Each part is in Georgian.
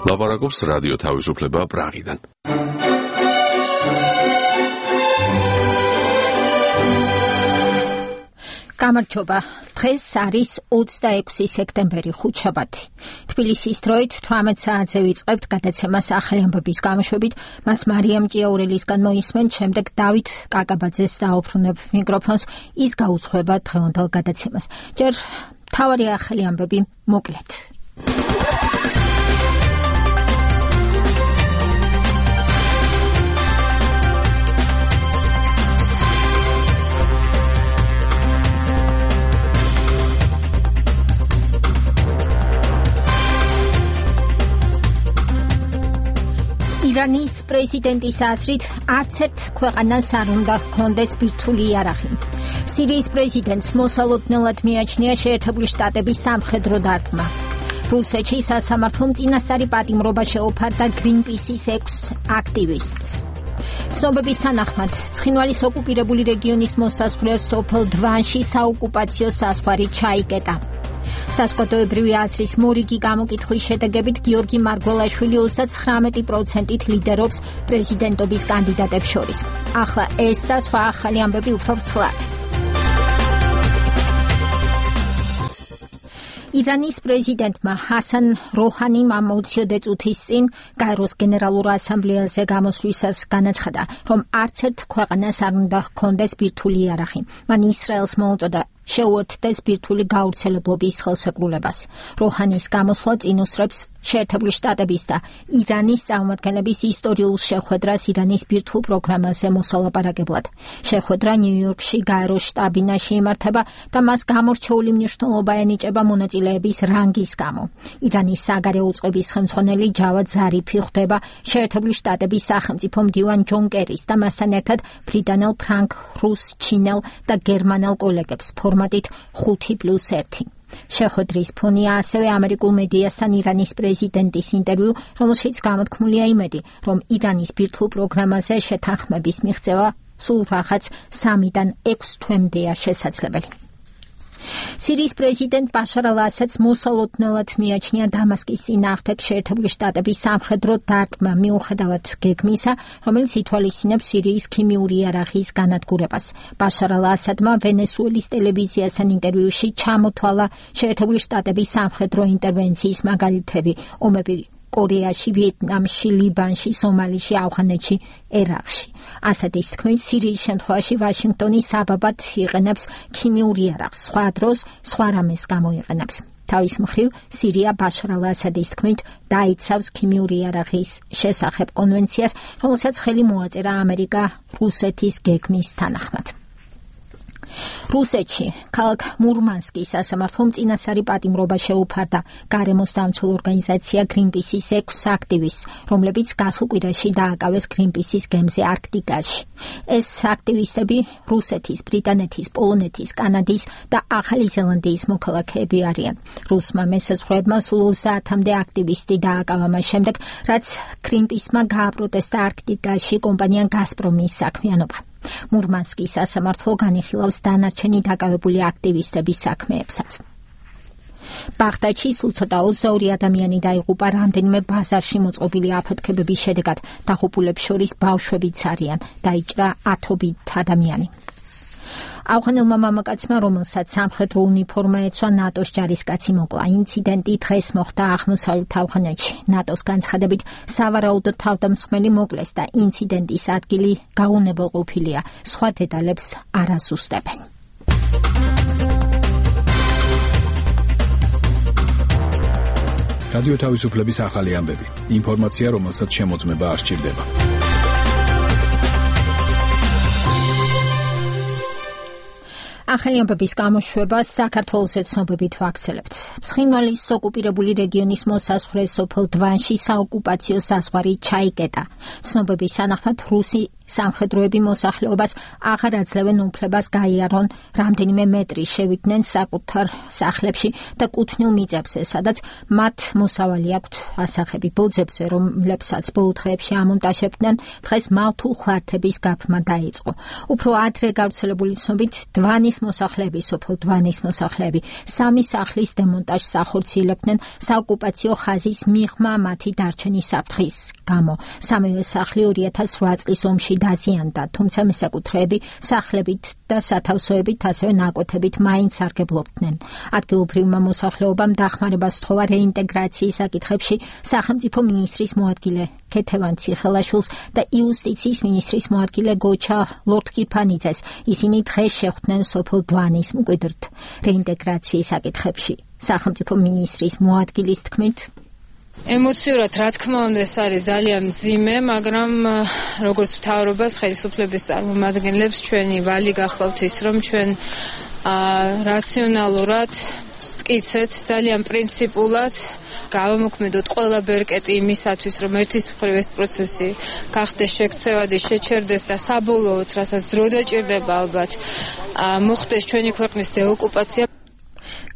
ლაპარაკობს რადიო თავისუფლება პრაღიდან. გამარჯობა. დღეს არის 26 სექტემბერი, ხუთშაბათი. თბილისის დროით 18 საათზე ვიწყებთ გადაცემას ახალი ამბების გამოშვებით. მას მარიამ ჭიაურელისგან მოისმენთ, შემდეგ დავით კაკაბაძეს დაუბრუნებ მიკროფონს. ის გაუძღვება დღევანდელ გადაცემას. ჯერ მთავარი ახალი ამბები მოკლედ. ირანის პრეზიდენტის აზრით არც ერთ ქვეყანას არ უნდა ჰქონდეს ბირთვული იარაღი. სირიის პრეზიდენტს მოსალოდნელად მიაჩნია შეერთებული შტატების სამხედრო დარტყმა. რუსეთში სასამართლომ წინასწარი პატიმრობა შეუფარდა გრინპისის 6 აქტივისტს. ცნობების თანახმად, ცხინვალის ოკუპირებული რეგიონის მოსაზღვრე სოფელ დვანში საოკუპაციო საზღვარი ჩაიკეტა. საზოგადოებრივი აზრის მორიგი გამოკითხვის შედეგებით გიორგი მარგველაშვილი 39%-ით ლიდერობს პრეზიდენტობის კანდიდატებს შორის. ახლა ეს და სხვა ახალი ამბები უფრო ვრცლად. ირანის პრეზიდენტმა ჰასან როჰანიმ ამ 20 წუთის წინ გაეროს გენერალურ ასამბლეაზე გამოსვლისას განაცხადა, რომ არც ერთ ქვეყანას არ უნდა ჰქონდეს ბირთვული იარაღი. მან ისრაელს მოუწოდა შეუერთდეს ბირთვული გავრცელებლობის ხელსაყრელობას. როჰანის გამოსვლა წინ უსწრებს შეერთებული შტატების და ირანის წარმომადგენლების ისტორიულ შეხვედრას ირანის ბირთვულ პროგრამაზე მოსალაპარაკებლად. შეხვედრა ნიუ-იორკში გაეროს შტაბ-ბინაში იმართება და მას გამორჩეული მნიშვნელობა ენიჭება მონაწილეების რანგის გამო. ირანის საგარეო უწყების ხელმძღვანელი ჯავად ზარიფი ხვდება შეერთებული შტატების სახელმწიფო მდივან ჯონ კერის და მასთან ერთად ბრიტანელ, ფრანგ, რუს, ჩინელ და გერმანელ კოლეგებს ფორმატით 5+1. შეხვედრის ფონია ასევე ამერიკულ მედიასთან ირანის პრეზიდენტის ინტერვიუ, რომელშიც გამოთქმულია იმედი, რომ ირანის ბირთვულ პროგრამაზე შეთანხმების მიღწევა სულ რაღაც 3-დან 6 თვემდეა შესაძლებელი. სირიის პრეზიდენტ ბაშარ ალ-ასადს მოსალოდნელად მიაჩნია დამასკის წინააღმდეგ შეერთებული შტატების სამხედრო დარტყმა მიუხედავად გეგმისა, რომელიც ითვალისწინებს სირიის ქიმიური იარაღის განადგურებას. ბაშარ ალ-ასადმა ვენესუელის ტელევიზიასთან ინტერვიუში ჩამოთვალა შეერთებული შტატების სამხედრო ინტერვენციის მაგალითები, ომები კორეაში, ვიეტნამში, ლიბანში, სომალიში, ავღანეთში, ერაყში. ასადის თქმით, სირიის შემთხვევაში ვაშინგტონი საბაბად იყენებს ქიმიურ იარაღს, სხვა დროს სხვა რამეს გამოიყენებს. თავის მხრივ, სირია ბაშარ ალ-ასადის თქმით დაიცავს ქიმიური იარაღის შესახებ კონვენციას, რომელსაც ხელი მოაწერა ამერიკა რუსეთის გეგმის თანახმად. რუსეთში ქალაქ მურმანსკის სასამართლომ წინასწარი პატიმრობა შეუფარდა გარემოს დამცველ ორგანიზაცია გრინპისის 6 აქტივისტს, რომლებიც გასულ კვირაში დააკავეს გრინპისის გემზე არქტიკაში. ეს აქტივისტები რუსეთის, ბრიტანეთის, პოლონეთის, კანადის და ახალი ზელანდიის მოქალაქეები არიან. რუსმა მესაზღვრეებმა სულ 30-მდე აქტივისტი დააკავა მას შემდეგ, რაც გრინპისმა გააპროტესტა არქტიკაში კომპანია გაზპრომის საქმიანობა. მურმანსკის სასამართლო განიხილავს დანარჩენი დაკავებული აქტივისტების საქმეებსაც. ბაღდადში სულ ცოტა 22 ადამიანი დაიღუპა რამდენიმე ბაზარში მოწყობილი აფეთქებების შედეგად. დაღუპულებს შორის ბავშვებიც არიან. დაიჭრა ათობით ადამიანი. ავღანელმა მამაკაცმა, რომელსაც სამხედრო უნიფორმა ეცვა, ნატოს ჯარისკაცი მოკლა. ინციდენტი დღეს მოხდა აღმოსავლეთ ავღანეთში. ნატოს განცხადებით, სავარაუდოდ თავდამსხმელი მოკლეს და ინციდენტის ადგილი გაუნებელყოფილია. სხვა დეტალებს არ აზუსტებენ. რადიო თავისუფლების ახალი ამბები. ინფორმაცია, რომელსაც შემოწმება არ სჭირდება. ახალი ამბების გამოშვებას საქართველოს ცნობებით ვაქცელებთ. ცხინვალის ოკუპირებული რეგიონის მოსაზღვრე სოფელ დვანში საოკუპაციო საზღვარი ჩაიკეტა. ცნობების თანახმად რუსი სამხედროები მოსახლეობას აღარ აძლევენ უფლებას გაიარონ რამდენიმე მეტრი შევიდნენ საკუთარ სახლებში და კუთვნილ მიწებზე, სადაც მათ მოსავალი აქვთ ასახები ბოძებზე, რომლებსაც ბოლო დღეებში ამონტაჟებდნენ, დღეს მავთულ ხლართების გაფრმა დაიწყო. უფრო ადრე გავრცელებული ცნობით დვანის მოსახლეები, სოფელ დვანის მოსახლეები სამი სახლის დემონტაჟს ახორციელებდნენ საოკუპაციო ხაზის მიღმა მათი დარჩენის საფრთხის გამო. სამივე სახლი 2008 წლის ომში დაზიანდა, თუმცა მესაკუთრეები სახლებით და სათავსოებით, ასევე ნაკვეთებით მაინც სარგებლობდნენ. ადგილობრივმა მოსახლეობამ დახმარებას სთხოვა რეინტეგრაციის საკითხებში სახელმწიფო მინისტრის მოადგილე ქეთევან ციხელაშვილს და იუსტიციის მინისტრის მოადგილე გოჩა ლორთქიფანიძეს. ისინი დღეს შეხვდნენ სოფელ დვანის მკვიდრთ რეინტეგრაციის საკითხებში. სახელმწიფო მინისტრის მოადგილის თქმით, ემოციურად, რა თქმა უნდა, ეს არის ძალიან მძიმე, მაგრამ როგორც მთავრობას, ხელისუფლების წარმომადგენლებს ჩვენი ვალი გახლავთ ის, რომ ჩვენ რაციონალურად მტკიცეთ, ძალიან პრინციპულად გავამოქმედოთ ყველა ბერკეტი იმისათვის, რომ ერთის მხრივ ეს პროცესი გახდეს შექცევადი, შეჩერდეს და საბოლოოდ, რასაც დრო დაჭირდება ალბათ, მოხდეს ჩვენი ქვეყნის დეოკუპაცია.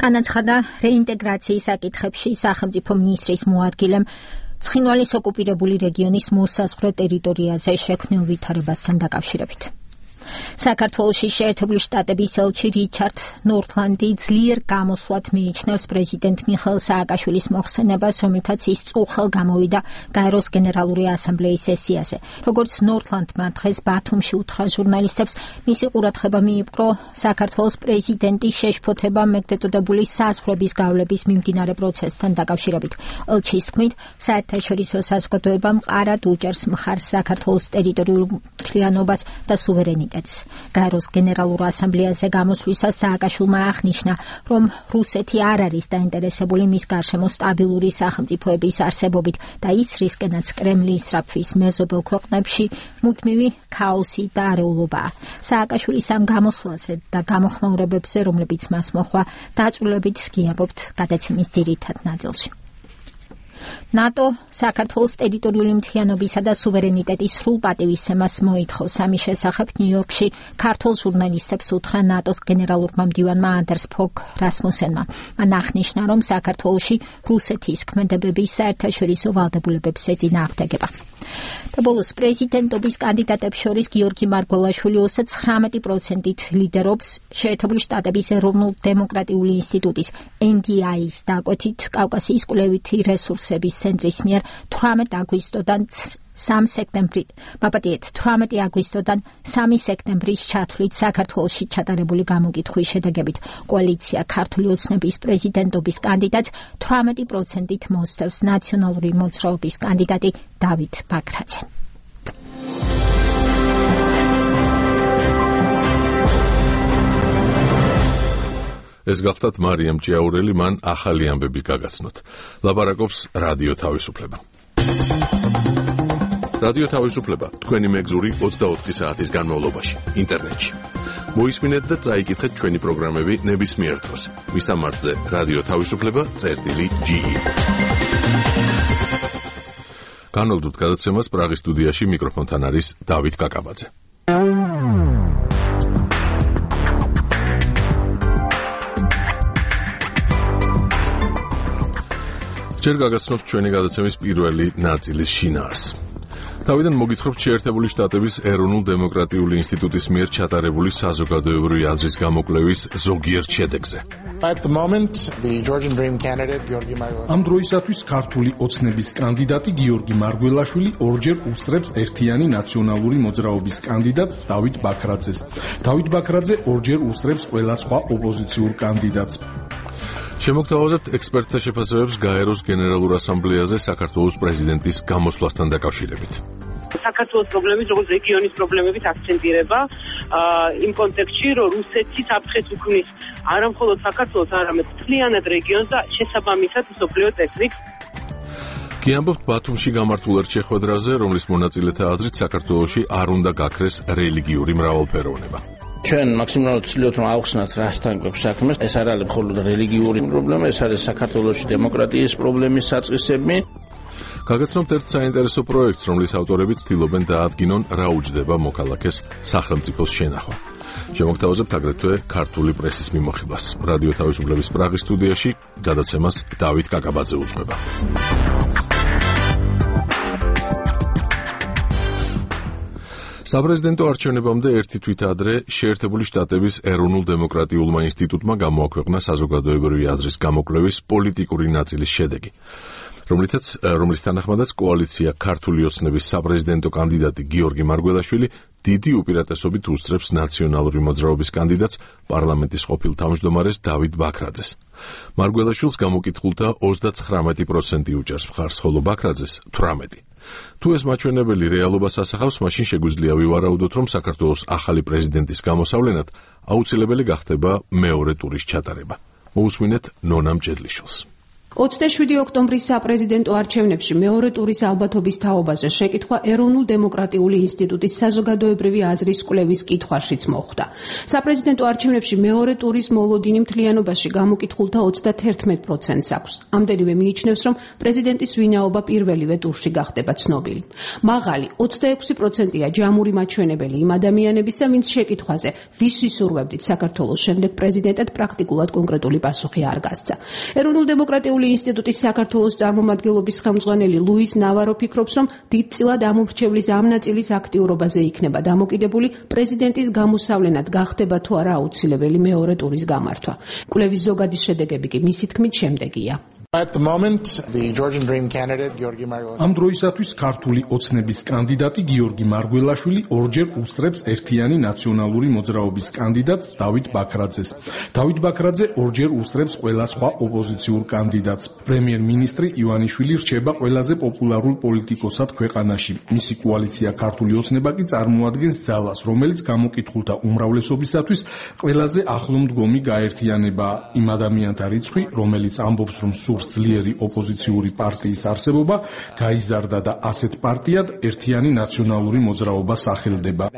განაცხადა რეინტეგრაციის საკითხებში სახელმწიფო მინისტრის მოადგილემ ცხინვალის ოკუპირებული რეგიონის მოსაზღვრე ტერიტორიაზე შექმნილ ვითარებასთან დაკავშირებით. საქართველოში შეერთებული შტატების ელჩი რიჩარდ ნორთლანდი ძლიერ გამოსვლად მიიჩნევს პრეზიდენტ მიხეილ სააკაშვილის მოხსენებას, რომელთაც ის წუხელ გამოვიდა გაეროს გენერალური ასამბლეის სესიაზე. როგორც ნორთლანდმა დღეს ბათუმში უთხრა ჟურნალისტებს, მისი ყურადღება მიიპყრო საქართველოს პრეზიდენტის შეშფოთება მეგდეწოდებული საზღვრების გავლების მიმდინარე პროცესთან დაკავშირებით. ელჩის თქმით, საერთაშორისო საზოგადოება მყარად უჭერს მხარს საქართველოს ტერიტორიულ მთლიანობას და სუვერენიტეტს. გაეროს გენერალურ ასამბლეაზე გამოსვლისას სააკაშვილმა აღნიშნა, რომ რუსეთი არ არის დაინტერესებული მის გარშემო სტაბილური სახელმწიფოების არსებობით და ის რისკენაც კრემლის სწრაფვის მეზობელ ქვეყნებში მუდმივი ქაოსი და არეულობაა. სააკაშვილის ამ გამოსვლაზე და გამოხმაურებებზე, რომლებიც მას მოჰყვა, დაწვრილებით გიამბობთ გადაცემის ძირითად ნაწილში. ნატო საქართველოს ტერიტორიული მთლიანობისა და სუვერენიტეტის სრულ პატივისცემას მოითხოვს. ამის შესახებ ნიუ-იორკში ქართულ ჟურნალისტებს უთხრა ნატოს გენერალურმა მდივანმა ანდერს ფოგ რასმუსენმა. მან აღნიშნა, რომ საქართველოში რუსეთის ქმედებების საერთაშორისო ვალდებულებებს ეწინააღმდეგება. და ბოლოს პრეზიდენტობის კანდიდატებს შორის გიორგი მარგველაშვილი 29%-ით ლიდერობს შეერთებული შტატების ეროვნულ დემოკრატიული ინსტიტუტის NDI-ის დაკვეთით კავკასიის კვლევითი რესურსების ცენტრის მიერ 18 აგვისტოდან 3 სექტემბრის ჩათვლით საქართველოში ჩატარებული გამოკითხვის შედეგებით კოალიცია ქართული ოცნების პრეზიდენტობის კანდიდატს 18%-ით მოსდევს ნაციონალური მოძრაობის კანდიდატი დავით ბაქრაძე. ეს გახდათ მარიამ ჭიაურელი, მან ახალი ამბები გაგაცნოთ. ლაპარაკობს რადიო თავისუფლება. რადიო თავისუფლება თქვენი მეგზური 24 საათის განმავლობაში ინტერნეტში. მოისმინეთ და წაიკითხეთ ჩვენი პროგრამები ნებისმიერ დროს. მისამართზე რადიო თავისუფლება.ge. განვაგრძობთ გადაცემას პრაღის სტუდიაში, მიკროფონთან არის დავით კაკაბაძე. ჯერ გაგაცნობთ ჩვენი გადაცემის პირველი ნაწილის შინაარსს. თავიდან მოგითხრობთ შეერთებული შტატების ეროვნულ დემოკრატიული ინსტიტუტის მიერ ჩატარებული საზოგადოებრივი აზრის გამოკვლევის ზოგიერთ შედეგზე. ამ დროისათვის ქართული ოცნების კანდიდატი გიორგი მარგველაშვილი ორჯერ უსწრებს ერთიანი ნაციონალური მოძრაობის კანდიდატს დავით ბაქრაძეს. დავით ბაქრაძე ორჯერ უსწრებს ყველა სხვა ოპოზიციურ კანდიდატს. შემოგთავაზებთ ექსპერტთა შეფასებებს გაეროს გენერალურ ასამბლეაზე საქართველოს პრეზიდენტის გამოსვლასთან დაკავშირებით. საქართველოს პრობლემის, როგორც რეგიონის პრობლემებით აქცენტირება იმ კონტექსტში, რომ რუსეთი საფრთხეს უქმნის არა მხოლოდ საქართველოს, არამედ მთლიანად რეგიონს და შესაბამისად მსოფლიო წესრიგს. გიამბობთ ბათუმში გამართულ ერთ შეხვედრაზე, რომლის მონაწილეთა აზრით საქართველოში არ უნდა გაქრეს რელიგიური მრავალფეროვნება. ჩვენ მაქსიმალურად ვცდილობთ რომ ავხსნათ რასთან გვაქვს საქმე. ეს არ არის მხოლოდ რელიგიური პრობლემა, ეს არის საქართველოში დემოკრატიის პრობლემის საწყისები. გაგაცნობთ ერთ საინტერესო პროექტს, რომლის ავტორები ცდილობენ დაადგინონ, რა უჯდება მოქალაქეს სახელმწიფოს შენახვა. შემოგთავაზებთ აგრეთვე ქართული პრესის მიმოხილვას. რადიო თავისუფლების პრაღის სტუდიაში გადაცემას დავით კაკაბაძე უძღვება. საპრეზიდენტო არჩევნებამდე ერთი თვით ადრე შეერთებული შტატების ეროვნულ დემოკრატიულმა ინსტიტუტმა გამოაქვეყნა საზოგადოებრივი აზრის გამოკვლევის პოლიტიკური ნაწილის შედეგი, რომლის თანახმადაც კოალიცია ქართული ოცნების საპრეზიდენტო კანდიდატი გიორგი მარგველაშვილი დიდი უპირატესობით უსწრებს ნაციონალური მოძრაობის კანდიდატს პარლამენტის ყოფილ თავმჯდომარეს დავით ბაქრაძეს. მარგველაშვილს გამოკითხულთა 39% უჭერს მხარს, ხოლო ბაქრაძეს 18%. თუ ეს მაჩვენებელი რეალობას ასახავს, მაშინ შეგვიძლია ვივარაუდოთ, რომ საქართველოს ახალი პრეზიდენტის გამოსავლენად აუცილებელი გახდება მეორე ტურის ჩატარება. მოусმინეთ ნონა მჭედლიშვილს. 27 ოქტომბრის საპრეზიდენტო არჩევნებში მეორე ტურის ალბათობის თაობაზე შეკითხვა ეროვნულ დემოკრატიული ინსტიტუტის საზოგადოებრივი აზრის კვლევის კითხვაშიც მოხვდა. საპრეზიდენტო არჩევნებში მეორე ტურის მოლოდინი მთლიანობაში გამოკითხულთა 31%-ს აქვს. ამდენივე მიიჩნევს, რომ პრეზიდენტის ვინაობა პირველივე ტურში გახდება ცნობილი. მაღალი 26%-ია ჯამური მაჩვენებელი იმ ადამიანებისა, ვინც შეკითხვაზე ვის ვისურვებდით საქართველოს შემდეგ პრეზიდენტად პრაქტიკულად კონკრეტული პასუხი არ გასცა. ეროვნულ დემოკრატიული ინსტიტუტის საქართველოს წარმომადგენლობის ხელმძღვანელი ლუის ნავარო ფიქრობს, რომ დიდწილად ამომრჩევლის ამ ნაწილის აქტიურობაზე იქნება დამოკიდებული პრეზიდენტის გამოსავლენად გახდება თუ არა აუცილებელი მეორე ტურის გამართვა. კვლევის ზოგადი შედეგები კი მისი თქმით შემდეგია. At the moment, the Georgian Dream candidate Georgi Margvelashvili ამ დროისათვის ქართული ოცნების კანდიდატი გიორგი მარგველაშვილი ორჯერ უსწრებს ერთიანი ნაციონალური მოძრაობის კანდიდატს დავით ბაქრაძეს. დავით ბაქრაძე ორჯერ უსწრებს ყველა სხვა ოპოზიციურ კანდიდატს. პრემიერ-მინისტრი ივანიშვილი რჩება ყველაზე პოპულარულ პოლიტიკოსად ქვეყანაში. მისი კოალიცია ქართული ოცნება კი წარმოადგენს ძალას, რომელიც გამოკითხულთა უმრავლესობისათვის ყველაზე ახლომდგომი გაერთიანება. იმ ადამიანთა რიცხვი, რომელიც ამბობს, რომ ძლიერი ოპოზიციური პარტიის არსებობა გაიზარდა და ასეთ პარტიად ერთიანი ნაციონალური მოძრაობა სახელდება.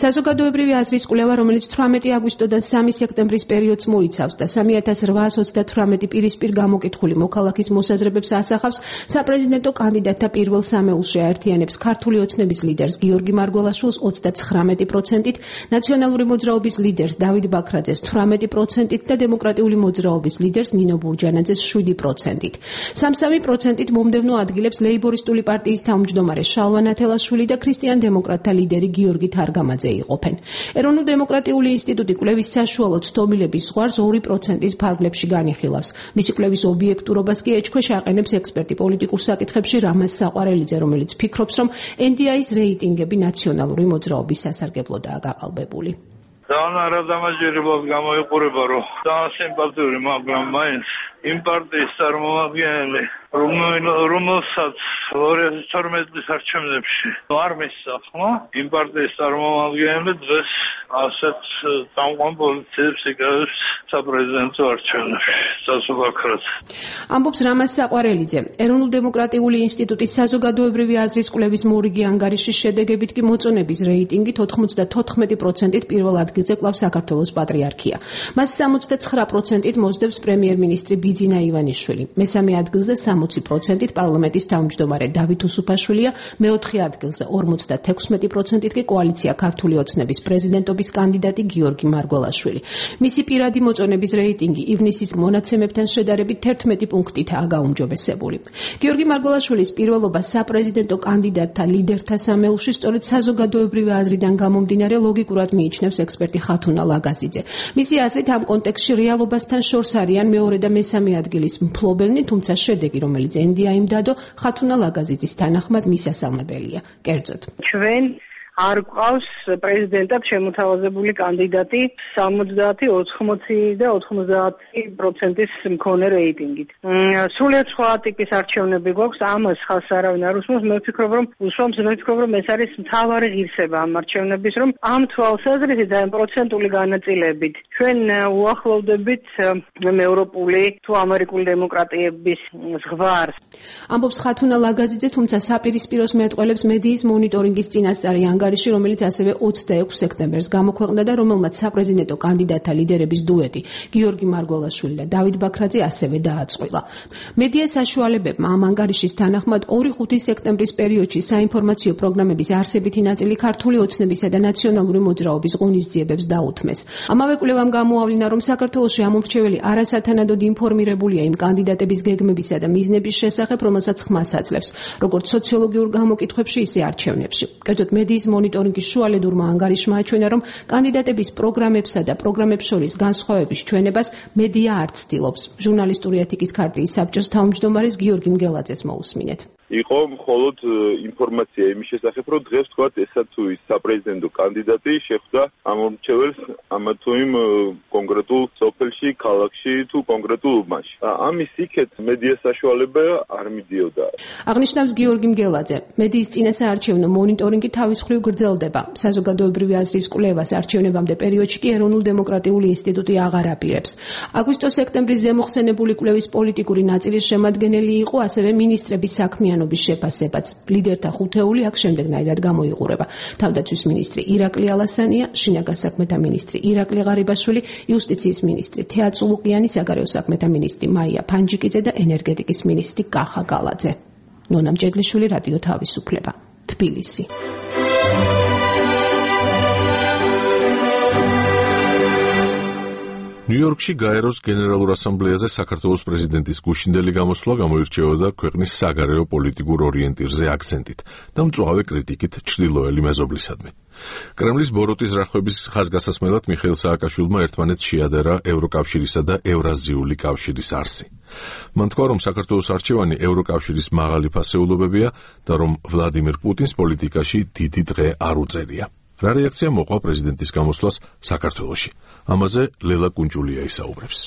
საზოგადოებრივი აზრის კვლევა, რომელიც 18 აგვისტოდან 3 სექტემბრის პერიოდს მოიცავს და 3838 პირისპირ გამოკითხული მოქალაქის მოსაზრებებს ასახავს, საპრეზიდენტო კანდიდატთა პირველ სამეულში აერთიანებს ქართული ოცნების ლიდერს გიორგი მარგველაშვილს 39%-ით, ნაციონალური მოძრაობის ლიდერს დავით ბაქრაძეს 18%-ით და დემოკრატიული მოძრაობის ლიდერს ნინო ბურჯანაძეს 7%-ით. 3%-ით მომდევნო ადგილებს ლეიბორისტული პარტიის თავმჯდომარე შალვა ნათელაშვილი და ქრისტიან-დემოკრატთა ლიდერი გიორგი თარგამაძე იყოფენ. ეროვნულ დემოკრატიული ინსტიტუტი კვლევის საშუალო ცდომილების ზღვარს 2%-ის ფარგლებში განიხილავს. მისი კვლევის ობიექტურობას კი ეჭქვეშ აყენებს ექსპერტი პოლიტიკურ საკითხებში რამაზ საყვარელიძე, რომელიც ფიქრობს, რომ NDI-ის რეიტინგები ნაციონალური მოძრაობის სასარგებლოდაა გაყალბებული. ძალიან არადამაჯერებლად გამოიყურება, რომ ძალიან სიმპათიური, მაგრამ მაინც იმ პარტიის წარმომადგენელი, რომელსაც 2012 წლის არჩევნებში არ მისცა ხმა, იმ პარტიის წარმომადგენელი დღეს ასეთ წამყვან პოლიტიკებს იკავებს საპრეზიდენტო არჩევნებში. ბაქრაძე. ამბობს რამაზ საყვარელიძე. ეროვნულ დემოკრატიული ინსტიტუტის საზოგადოებრივი აზრის კვლევის მორიგი ანგარიშის შედეგებით კი მოწონების რეიტინგით 94%-ით პირველ ადგილზე კლავს საქართველოს პატრიარქია. მას 69%-ით მოსდევს პრემიერ-მინისტრი ბიძინა ივანიშვილი. მესამე ადგილზე 60%-ით პარლამენტის თავმჯდომარე დავით უსუფაშვილია, მეოთხე ადგილზე 56%-ით კი კოალიცია ქართული ოცნების პრეზიდენტობის კანდიდატი გიორგი მარგველაშვილი. მისი პირადი მოწონების რეიტინგი ივნისის მონაცემებთან შედარებით 11 პუნქტითაა გაუმჯობესებული. გიორგი მარგველაშვილის პირველობა საპრეზიდენტო კანდიდატთა ლიდერთა სამეულში სწორედ საზოგადოებრივი აზრიდან გამომდინარე ლოგიკურად მიიჩნევს ექსპერტი ხათუნა ლაგაზიძე. მისი აზრით ამ კონტექსტში რეალობასთან შორს არიან მეორე და მესამე ადგილის მფლობელნი, თუმცა შედეგი, რომელიც NDI-მ დადო, ხათუნა ლაგაზიძის თანახმად მისასალმებელია. კერძოდ, ჩვენ არ გვყავს პრეზიდენტად შემოთავაზებული კანდიდატი 70, 80 და 90%-ის მქონე რეიტინგით. სულიად სხვა ტიპის არჩევნები გვაქვს, ამას ხალხს არავინ არ უსმენს. მე ვფიქრობ, რომ ეს არის მთავარი ღირსება ამ არჩევნების, რომ ამ თვალსაზრისით ძალიან პროცენტული განაწილებით ჩვენ უახლოვდებით ევროპული თუ ამერიკული დემოკრატიების ზღვარს. ამბობს ხათუნა ლაგაზიძე, თუმცა საპირისპიროს მეტყველებს მედიის მონიტორინგის წინასწარი ანგარიში, რომელიც ასევე 26 სექტემბერს გამოქვეყნდა და რომელმაც საპრეზიდენტო კანდიდატთა ლიდერების დუეტი გიორგი მარგველაშვილი და დავით ბაქრაძე ასევე დააწყვილა. მედია საშუალებებმა ამ ანგარიშის თანახმად 2-5 სექტემბრის პერიოდში საინფორმაციო პროგრამების არსებითი ნაწილი ქართული ოცნებისა და ნაციონალური მოძრაობის ღონისძიებებს დაუთმეს. ამავე კვლევამ გამოავლინა, რომ საქართველოში ამომრჩეველი არასათანადოდ ინფორმირებულია იმ კანდიდატების გეგმებისა და მიზნების შესახებ, რომელსაც ხმას აძლევს, როგორც სოციოლოგიურ გამოკითხვებში, ისე არჩევნებში. კერძოდ, მედიის მონიტორინგის შუალედურმა ანგარიშმა აჩვენა, რომ კანდიდატების პროგრამებსა და პროგრამებს შორის განსხვავების ჩვენებას მედია არ ცდილობს. ჟურნალისტური ეთიკის ქარტიის საბჭოს თავმჯდომარის გიორგი მგელაძეს მოусმინეთ. იყო მხოლოდ ინფორმაცია იმის შესახებ, რომ დღეს თქვათ ესა თუ ის საპრეზიდენტო კანდიდატი შეხვდა ამომრჩეველს ამა თუ იმ კონკრეტულ სოფელში, ქალაქში თუ კონკრეტულ უბანში. ამის იქეთ მედია საშუალება არ მიდიოდა. აღნიშნავს გიორგი მგელაძე, მედიის წინასაარჩევნო მონიტორინგი თავის მხრივ გრძელდება. საზოგადოებრივი აზრის კვლევას არჩევნებამდე პერიოდში კი ეროვნულ დემოკრატიული ინსტიტუტი აღარ აპირებს. აგვისტო-სექტემბრის ზემოხსენებული კვლევის პოლიტიკური ნაწილის შემადგენელი იყო ასევე მინისტრების საქმიანობის შეფასებაც. ლიდერთა ხუთეული აქ შემდეგნაირად გამოიყურება. თავდაცვის მინისტრი ირაკლი ალასანია, შინაგან საქმეთა მინისტრი ირაკლი ღარიბაშვილი, იუსტიციის მინისტრი თეა წულუკიანი, საგარეო საქმეთა მინისტრი მაია ფანჯიკიძე და ენერგეტიკის მინისტრი კახა გალაძე. ნონა მჭედლიშვილი, რადიო თავისუფლება, თბილისი. ნიუ-იორკში გაეროს გენერალურ ასამბლეაზე საქართველოს პრეზიდენტის გუშინდელი გამოსვლა გამოირჩეოდა ქვეყნის საგარეო პოლიტიკურ ორიენტირზე აქცენტით და მწვავე კრიტიკით ჩრდილოელი მეზობლისადმი. კრემლის ბოროტის რახვების ხაზგასასმელად მიხეილ სააკაშვილმა ერთმანეთს შეადერა ევროკავშირისა და ევრაზიული კავშირის არსი. მან თქვა, რომ საქართველოს არჩევანი ევროკავშირის მაღალი ფასეულობებია და რომ ვლადიმირ პუტინს პოლიტიკაში დიდი დღე არ უწევია. რა რეაქცია მოყვა პრეზიდენტის გამოსვლას საქართველოში? ამაზე ლელა კუნჭულია ისაუბრებს.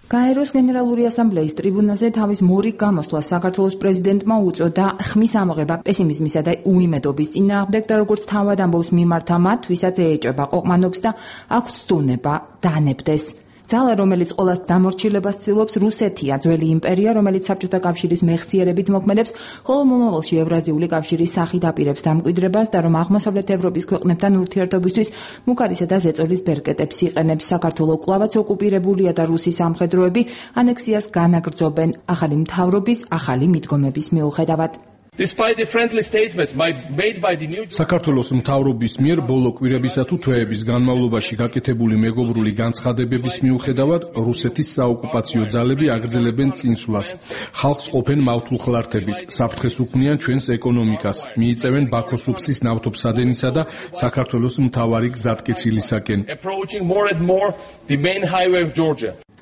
გაეროს გენერალური ასამბლეის ტრიბუნაზე თავის მორიგ გამოსვლას საქართველოს პრეზიდენტმა უწოდა ხმის ამოღება პესიმიზმისა და უიმედობის წინააღმდეგ და როგორც თავად ამბობს მიმართა მათ, ვისაც ეეჭება ყოყმანობს და აქვს სტუნება დანებდეს. ძალა, რომელიც ყოველას დამორჩილებას ცდილობს, რუსეთია, ძველი იმპერია, რომელიც საბჭოთა კავშირის მეხსიერებით მოქმედებს, ხოლო მომავალში ევრაზიული კავშირის სახით აპირებს დამკვიდრებას და რომ აღმოსავლეთ ევროპის ქვეყნებთან ურთიერთობისთვის მუქარისა და ზეწოლის ბერკეტებს იყენებს. საქართველო კვლავაც ოკუპირებულია და რუსის სამხედროები ანექსიას განაგრძობენ ახალი მთავრობის, ახალი მიდგომების მიუხედავად. საქართველოს მთავრობის მიერ ბოლო კვირებისა თუ თვეების განმავლობაში გაკეთებული მეგობრული განცხადებების მიუხედავად რუსეთის საოკუპაციო ძალები აგრძელებენ წინსვლას. ხალხს ყოფენ მავთულხლართებით, საფრთხეს უქმნიან ჩვენს ეკონომიკას, მიიწევენ ბაქოსუფსის ნავთობსადენისა და საქართველოს მთავარი გზატკეცილისაკენ.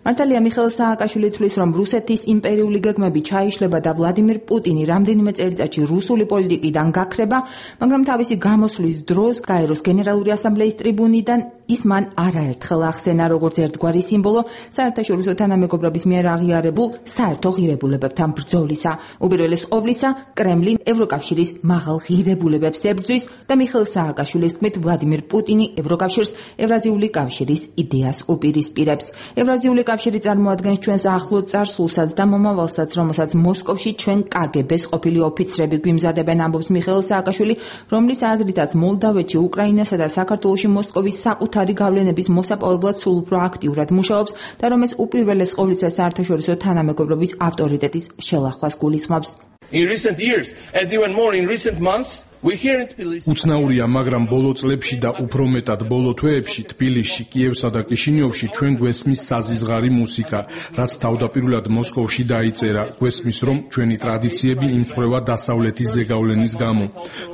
მართალია მიხეილ სააკაშვილი თვლის, რომ რუსეთის იმპერიული გეგმები ჩაიშლება და ვლადიმირ პუტინი რამდენიმე წელიწადში რუსული პოლიტიკიდან გაქრება, მაგრამ თავისი გამოსვლის დროს გაეროს გენერალური ასამბლეის ტრიბუნიდან ის მან არაერთხელ ახსენა როგორც ერთგვარი სიმბოლო საერთაშორისო თანამეგობრობის მიერ აღიარებულ საერთო ღირებულებებთან ბრძოლისა. უპირველეს ყოვლისა, კრემლი ევროკავშირის მაღალ ღირებულებებს ებრძვის და მიხეილ სააკაშვილის თქმით, ვლადიმირ პუტინი ევროკავშირს ევრაზიული კავშირის იდეას უპირისპირებს. ევრაზიული კავშირი წარმოადგენს ჩვენს ახლო წარსულსაც და მომავალსაც, რომელსაც მოსკოვში ჩვენ კგბ-ს ყოფილი ოფიცრები გვიმზადებენ, ამბობს მიხეილ სააკაშვილი, რომლის აზრითაც მოლდავეთში, უკრაინასა და საქართველოში მოსკოვის საკუთარი გავლენების მოსაპოვებლად სულ უფრო აქტიურად მუშაობს და რომ ეს უპირველეს ყოვლისა საერთაშორისო თანამეგობრობის ავტორიტეტის შელახვას გულისხმობს. უცნაურია, მაგრამ ბოლო წლებში და უფრო მეტად ბოლო თვეებში თბილისში, კიევსა და კიშინიოვში ჩვენ გვესმის საზიზღარი მუსიკა, რაც თავდაპირველად მოსკოვში დაიწერა. გვესმის, რომ ჩვენი ტრადიციები იმსხვრევა დასავლეთის ზეგავლენის გამო,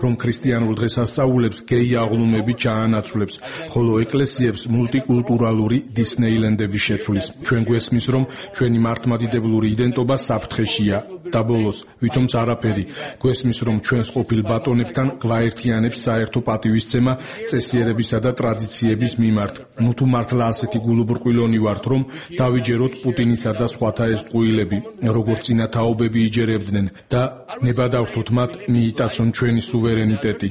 რომ ქრისტიანულ დღესასწაულებს გეი აღლუმები ჩაანაცვლებს, ხოლო ეკლესიებს მულტიკულტურალური დისნეილენდები შეცვლის. ჩვენ გვესმის, რომ ჩვენი მართლმადიდებლური იდენტობა საფრთხეშია და ბოლოს, ვითომც არაფერი, გვესმის, რომ ჩვენს ყოფილ ბატონებთან გვაერთიანებს საერთო პატივისცემა წესიერებისა და ტრადიციების მიმართ. ნუ თუ მართლა ასეთი გულუბრყვილონი ვართ, რომ დავიჯეროთ პუტინისა და სხვათა ეს ტყუილები, როგორც წინა თაობები იჯერებდნენ და ნებადავთოთ მათ მიიტაცონ ჩვენი სუვერენიტეტი.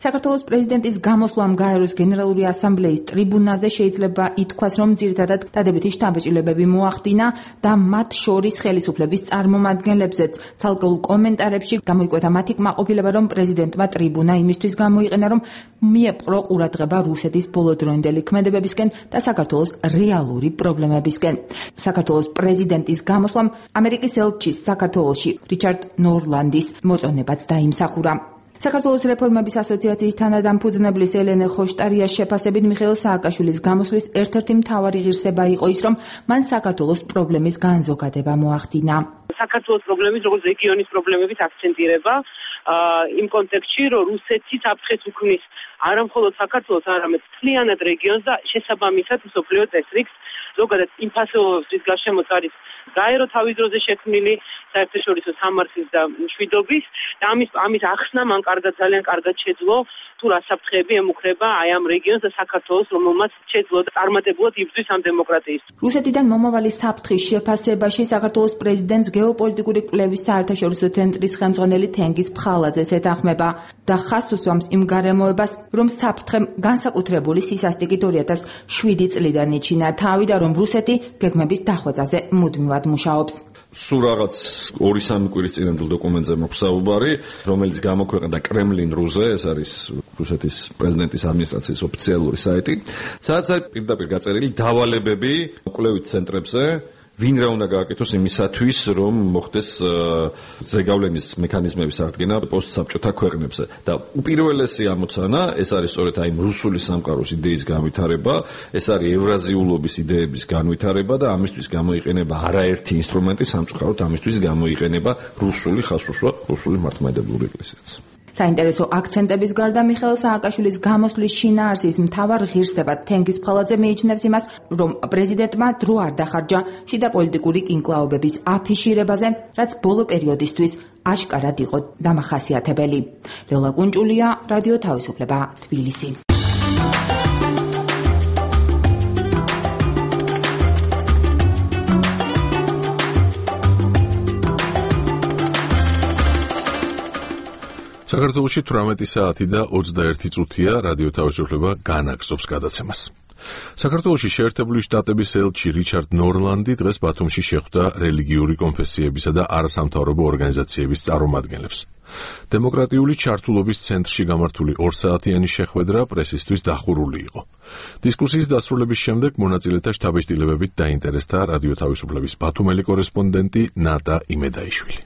საქართველოს პრეზიდენტის გამოსვლამ გაეროს გენერალური ასამბლეის ტრიბუნაზე შეიძლება ითქვას, რომ ძირითადად დადებითი შთაბეჭდილებები მოახდინა და მათ შორის ხელისუფლების წარმომადგენლებზეც. ცალკეულ კომენტარებში გამოიკვეთა მათი კმაყოფილება, რომ პრეზიდენტმა ტრიბუნა იმისთვის გამოიყენა, რომ მიეპყრო ყურადღება რუსეთის ბოლოდროინდელი ქმედებებისკენ და საქართველოს რეალური პრობლემებისკენ. საქართველოს პრეზიდენტის გამოსვლამ ამერიკის ელჩის საქართველოში რიჩარდ ნორლანდის მოწონებაც დაიმსახურა. საქართველოს რეფორმების ასოციაციის თანადამფუძნებლის ელენე ხოშტარიას შეფასებით მიხეილ სააკაშვილის გამოსვლის ერთ-ერთი მთავარი ღირსება იყო ის, რომ მან საქართველოს პრობლემის განზოგადება მოახდინა. საქართველოს პრობლემის, როგორც რეგიონის პრობლემების აქცენტირება იმ კონტექსტში, რომ რუსეთი საფრთხეს უქმნის არა მხოლოდ საქართველოს, არამედ მთლიანად რეგიონს და შესაბამისად მსოფლიო წესრიგს, ზოგადად იმ ფასეულობებს, რის გარშემოც არის გაერო თავის დროზე შექმნილი საერთაშორისო სამართლის და მშვიდობის და ამის ახსნა მან ძალიან კარგად შეძლო, თუ რა საფრთხეები ემუქრება აი ამ რეგიონს და საქართველოს, რომელმაც შეძლო წარმატებულად იბრძვის ამ დემოკრატიისთვის. რუსეთიდან მომავალი საფრთხის შეფასებაში საქართველოს პრეზიდენტს გეოპოლიტიკური კვლევის საერთაშორისო ცენტრის ხელმძღვანელი თენგიზ ფხალაძეც ეთანხმება და ხაზს უსვამს იმ გარემოებას, რომ საფრთხემ განსაკუთრებული სისასტიკით 2007 წლიდან იჩინა თავი და რომ რუსეთი გეგმების დახვეწაზე მუდმივად მუშაობს. სულ რაღაც 2-3 კვირის წინანდელ დოკუმენტზე მაქვს საუბარი, რომელიც გამოქვეყნდა კრემლინ.ru-ზე, ეს არის რუსეთის პრეზიდენტის ადმინისტრაციის ოფიციალური საიტი, სადაც არის პირდაპირ გაწერილი დავალებები კვლევით ცენტრებზე, ვინ რა უნდა გააკეთოს იმისათვის, რომ მოხდეს ზეგავლენის მექანიზმების აღდგენა პოსტსაბჭოთა ქვეყნებზე. და უპირველესი ამოცანა, ეს არის სწორედ აი რუსული სამყაროს იდეის განვითარება, ეს არის ევრაზიულობის იდეების განვითარება და ამისთვის გამოიყენება არაერთი ინსტრუმენტი, სამწუხაროდ ამისთვის გამოიყენება რუსული ხაზსუსვა, რუსული მართლმადიდებლური ეკლესიაც. საინტერესო აქცენტების გარდა მიხეილ სააკაშვილის გამოსვლის შინაარსის მთავარ ღირსებად თენგიზ ფხალაძე მიიჩნევს იმას, რომ პრეზიდენტმა დრო არ დახარჯა შიდა პოლიტიკური კინკლაობების აფიშირებაზე, რაც ბოლო პერიოდისთვის აშკარად იყო დამახასიათებელი. ლელა კუნჭულია, რადიო თავისუფლება, თბილისი. საქართველოში 18 საათი და 21 წუთია რადიო თავისუფლება განაგზობს გადაცემას. საქართველოში შეერთებული შტატების ელჩი რიჩარდ ნორლანდი დღეს ბათუმში შეხვდა რელიგიური კონფესიებისა და არასამთავრობო ორგანიზაციების წარმომადგენლებს. დემოკრატიული ჩართულობის ცენტრში გამართული 2 საათიანი შეხვედრა პრესისთვის დახურული იყო. დისკუსიის დასრულების შემდეგ მონაწილეთა შთაბეჭდილებებით დაინტერესდა რადიო თავისუფლების ბათუმელი კორესპონდენტი ნატა იმედაიშვილი.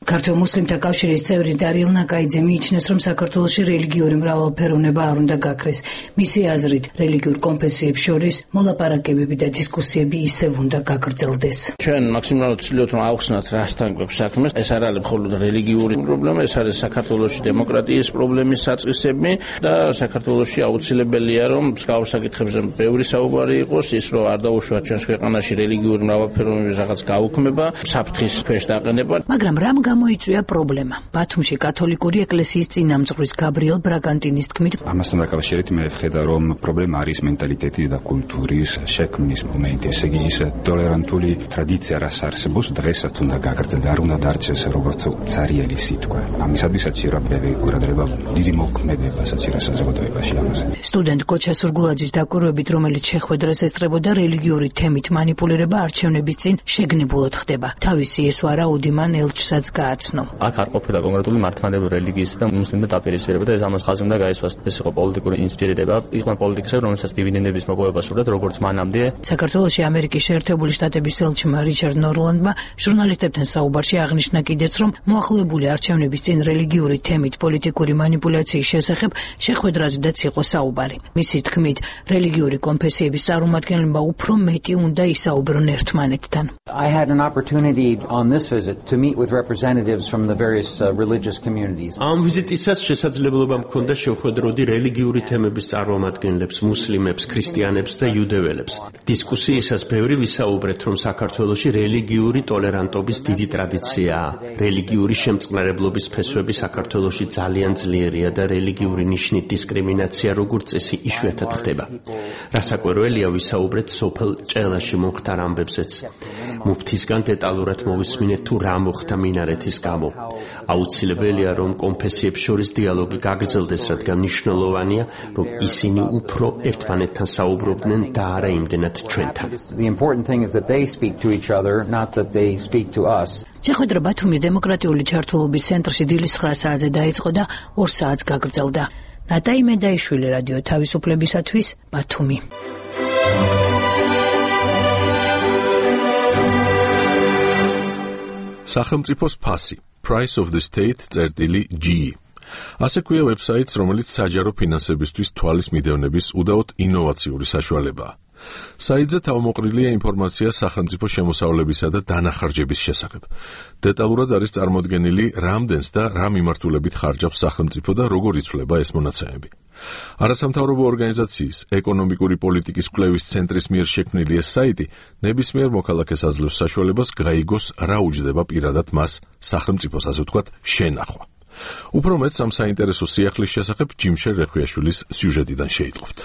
ქართულ მუსლიმთა კავშირის წევრი დარიელ ნაკაიძე მიიჩნევს, რომ საქართველოში რელიგიური მრავალფეროვნება არ უნდა გაქრეს. მისი აზრით, რელიგიურ კონფესიებს შორის მოლაპარაკებები და დისკუსიები ისევ უნდა გაგრძელდეს. ჩვენ მაქსიმალურად ვცდილობთ, რომ ავხსნათ რასთან გვაქვს საქმე. ეს არ არის მხოლოდ რელიგიური პრობლემა, ეს არის საქართველოში დემოკრატიის პრობლემის საწყისები და საქართველოში აუცილებელია, რომ მსგავს საკითხებზე ბევრი საუბარი იყოს, ის რომ არ დაუშვათ ჩვენს ქვეყანაში რელიგიური მრავალფეროვნების რაღაც გაუქმება, საფრთხის ქვეშ დაყენება. მაგრამ რამ გამოიწვია პრობლემა? ბათუმში კათოლიკური ეკლესიის წინამძღვრის გაბრიელ ბრაგანტინის თქმით, ამასთან დაკავშირებით მე ვხედავ, რომ პრობლემა არის მენტალიტეტი და კულტურის შექმნის მომენტი. ესე იგი, ის ტოლერანტული ტრადიცია, რაც არსებობს, დღესაც უნდა გაგრძელდეს, არ უნდა დარჩეს როგორც ცარიელი სიტყვა. ამისადმისაც რა ბევრი ყურადღება, დიდი მოქმედება საჭიროა საზოგადოებაში ამაზე. სტუდენტ კოჩა სურგულაძის დაკვირვებით, რომელიც შეხვედრას ესწრებოდა რელიგიური თემით მანიპულირება არჩევნების წინ შეგნებულად ხდება. თავისი ესვარაუდი მან ელჩსაც გააცნო. აქ არ ყოფილა კონკრეტული მართლმადიდებლური რელიგიის და მუსლიმთა დაპირისპირება და ეს ამას ხაზი უნდა გაისვას. ეს იყო პოლიტიკური ინსპირირება, იყო პოლიტიკოსები, რომელსაც დივიდენდების მოპოვება სურდათ, როგორც მანამდე. საქართველოში ამერიკის შეერთებული შტატების ელჩმა რიჩარდ ნორლანდმა ჟურნალისტებთან საუბარში აღნიშნა კიდეც, რომ მოახლოებული არჩევნების წინ რელიგიური თემით პოლიტიკური მანიპულაციის შესახებ შეხვედრაზედაც იყო საუბარი. მისი თქმით, რელიგიური კონფესიების წარმომადგენლებმა უფრო მეტი უნდა ისაუბრონ ერთმანეთთან. I had an opportunity on this visit to meet with representatives from the various religious communities. ამ ვიზიტისას შესაძლებლობა მქონდა შევხვედროდი რელიგიური თემების წარმომადგენლებს, მუსლიმებს, ქრისტიანებს და იუდეველებს. დისკუსიისას ბევრი ვისაუბრეთ, რომ საქართველოში რელიგიური ტოლერანტობის დიდი ტრადიციაა. რელიგიური შემწყნარებლობის ფესვები საქართველოში ძალიან ძლიერია და რელიგიური ნიშნით დისკრიმინაცია როგორც წესი იშვიათად ხდება. რასაკვირველია, ვისაუბრეთ სოფელ ჭელაში მომხდარ ამბებზეც. მუფთისგან დეტალურად მოვისმინეთ თუ რა მოხდა მინარეთის გამო. აუცილებელია რომ კონფესიებს შორის დიალოგი გაგრძელდეს, რადგან მნიშვნელოვანია რომ ისინი უფრო ერთმანეთთან საუბრობდნენ და არა იმდენად ჩვენთან. The important thing is that they speak to each other, not that they speak to us. შეხვედრა ბათუმის დემოკრატიული ჩართულობის ცენტრში დილის 9 საათზე დაიწყო და 2 საათს გაგრძელდა. ნატაი მედაიშვილი, რადიო თავისუფლებისათვის, ბათუმი. სახელმწიფოს ფასი Price of the State წერტილი G. ასე ქვია ვებსაიტს, რომელიც საჯარო ფინანსებისთვის თვალის მიდევნების უდაოდ ინოვაციური საშუალებაა. საიტზე თავმოყრილია ინფორმაცია სახელმწიფო შემოსავლებისა და დანახარჯების შესახებ. დეტალურად არის წარმოდგენილი, რამდენს და რა მიმართულებით ხარჯავს სახელმწიფო და როგორ იცვლება ეს მონაცემები. არასამთავრობო ორგანიზაციის ეკონომიკური პოლიტიკის კვლევის ცენტრის მიერ შექმნილი ეს საიტი ნებისმიერ მოქალაქეს აძლევს საშუალებას გაიგოს, რა უჯდება პირადად მას სახელმწიფოს, ასე ვთქვათ, შენახვა. უფრო მეტს ამ საინტერესო სიახლის შესახებ ჯიმშერ რეხვიაშვილის სიუჟეტიდან შეიტყობთ.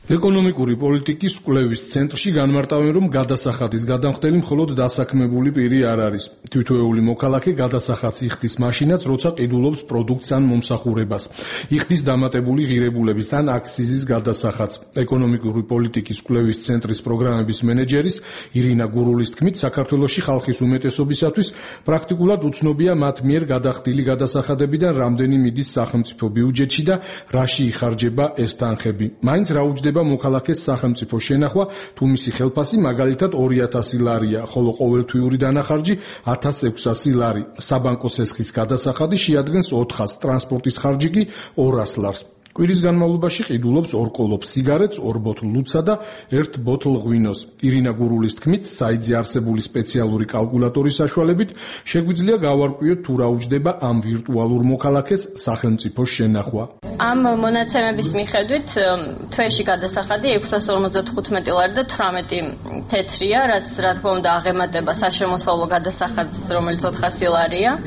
ეკონომიკური პოლიტიკის კვლევის ცენტრში განმარტავენ, რომ გადასახადის გადამხდელი მხოლოდ დასაქმებული პირი არ არის. თითოეული მოქალაქე გადასახადს იხდის მაშინაც, როცა ყიდულობს პროდუქტს ან მომსახურებას. იხდის დამატებული ღირებულების ან აქციზის გადასახადს. ეკონომიკური პოლიტიკის კვლევის ცენტრის პროგრამების მენეჯერის ირინა გურულის თქმით, საქართველოში ხალხის უმეტესობისათვის პრაქტიკულად უცნობია მათ მიერ გადახდილი გადასახადებიდან რამდენი მიდის სახელმწიფო ბიუჯეტში და რაში იხარჯება ეს თანხები. მაინც რა უჯდება მოქალაქეს სახელმწიფო შენახვა, თუ მისი ხელფასი მაგალითად 2000 ლარია, ხოლო ყოველთვიური დანახარჯი 1600 ლარი. საბანკო სესხის გადასახადი შეადგენს 400, ტრანსპორტის ხარჯი კი 200 ლარს. კვირის განმავლობაში ყიდულობს 2 კოლოფ სიგარეტს, 2 ბოთლ ლუცსა და 1 ბოთლ ღვინოს. ირინა გურულის თქმით, საიტზე არსებული სპეციალური კალკულატორის საშუალებით შეგვიძლია გავარკვიოთ თუ რა უჯდება ამ ვირტუალურ მოქალაქეს სახელმწიფოს შენახვა. ამ მონაცემების მიხედვით თვეში გადასახადი 655 ლარი და 18 თეთრია, რაც რა თქმა უნდა აღემატება საშემოსავლო გადასახადს, რომელიც 400 ლარია.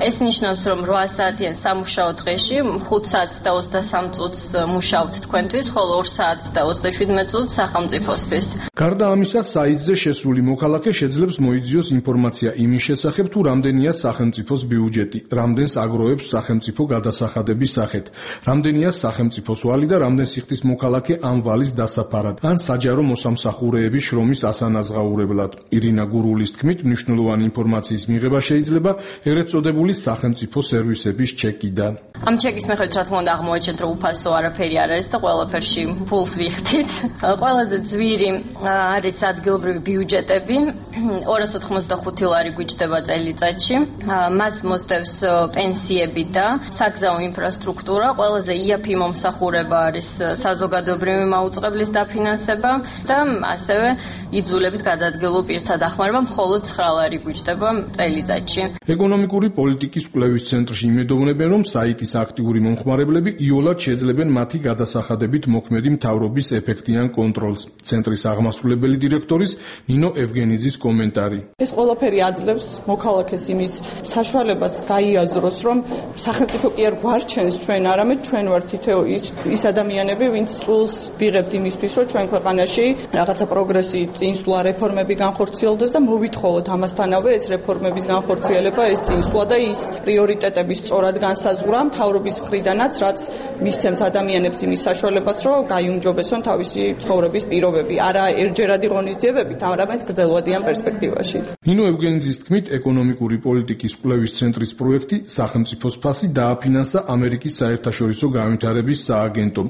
ეს ნიშნავს, რომ 8 საათიან სამუშაო დღეში 5 საათს და 23 წუთს მუშაობთ თქვენთვის, ხოლო 2 საათს და 37 წუთს სახელმწიფოსთვის. გარდა ამისა, საიტზე შესული მოქალაქე შეძლებს მოიძიოს ინფორმაცია იმის შესახებ, თუ რამდენია სახელმწიფოს ბიუჯეტი, რამდენს აგროვებს სახელმწიფო გადასახადების სახით, რამდენია სახელმწიფოს ვალი და რამდენს იხდის მოქალაქე ამ ვალის დასაფარად, ან საჯარო მოსამსახურეების შრომის ასანაზღაურებლად. ირინა გურულის თქმით, მნიშვნელოვანი ინფორმაციის მიღება შეიძლება ეგრეთ წოდებული სახელმწიფო სერვისების ჩეკიდან. ამ ჩეკის მიხედვით რა თქმა უნდა აღმოაჩენთ, რომ უფასო არაფერი არ არის და ყველაფერში ფულს ვიხდით. ყველაზე ძვირი არის ადგილობრივი ბიუჯეტები, 285 ლარი გვიჭდება წელიწადში. მას მოსდევს პენსიები და საგზაო ინფრასტრუქტურა. ყველაზე იაფი მომსახურება არის საზოგადოებრივი მაუწყებლის დაფინანსება და ასევე იძულებით გადაადგილო პირთა დახმარება, მხოლოდ 9 ლარი გვიჭდება წელიწადში. ეკონომიკური პოლიტიკის კვლევის ცენტრში იმედოვნებენ, რომ საიტის აქტიური მომხმარებლები იოლად შეძლებენ მათი გადასახადებით მოქმედი მთავრობის ეფექტიან კონტროლს. ცენტრის აღმასრულებელი დირექტორის ნინო ევგენიძის კომენტარი. ეს ყველაფერი აძლევს მოქალაქეს იმის საშუალებას გაიაზროს, რომ სახელმწიფო კი არ გვარჩენს ჩვენ, არამედ ჩვენ ვართ თითოეულ ის ადამიანები, ვინც წულს ვიღებთ იმისთვის, რომ ჩვენ ქვეყანაში რაღაცა პროგრესი, წინსვლა, რეფორმები განხორციელდეს და მოვითხოვოთ ამასთანავე ეს რეფორმების განხორციელება, ეს წინსვლა და ის პრიორიტეტების სწორად განსაზღვრა მთავრობის მხრიდანაც, რაც მისცემს ადამიანებს იმის საშუალებას, რომ გაიუმჯობესონ თავისი ცხოვრების პირობები, არა ერთჯერადი ღონისძიებებით, არამედ გრძელვადიან პერსპექტივაში. ნინო ევგენიძის თქმით, ეკონომიკური პოლიტიკის კვლევის ცენტრის პროექტი სახელმწიფოს ფასი დააფინანსა ამერიკის საერთაშორისო განვითარების სააგენტომ,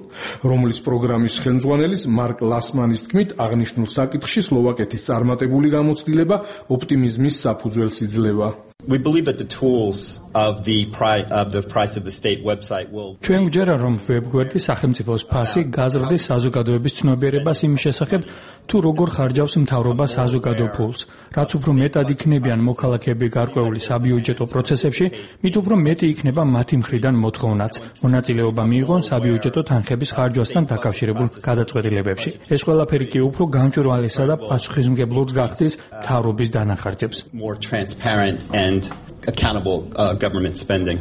რომლის პროგრამის ხელმძღვანელის მარკ ლასმანის თქმით, აღნიშნულ საკითხში სლოვაკეთის წარმატებული გამოცდილება ოპტიმიზმის საფუძველს იძლევა. We believe that the tools of the price of the state website will ჩვენ გვჯერა, რომ ვებგვერდი სახელმწიფოს ფასი გაზრდის საზოგადოების ცნობიერებას იმის შესახებ, თუ როგორ ხარჯავს მთავრობა საზოგადო ფულს. რაც უფრო მეტად იქნებიან მოქალაქეები გარკვეული საბიუჯეტო პროცესებში, მით უფრო მეტი იქნება მათი მხრიდან მოთხოვნაც, მონაწილეობა მიიღონ საბიუჯეტო თანხების ხარჯვასთან დაკავშირებულ გადაწყვეტილებებში. ეს ყველაფერი კი უფრო გამჭვირვალესა და პასუხისმგებლურს გახდის მთავრობის დანახარჯებს. More transparent and accountable government spending.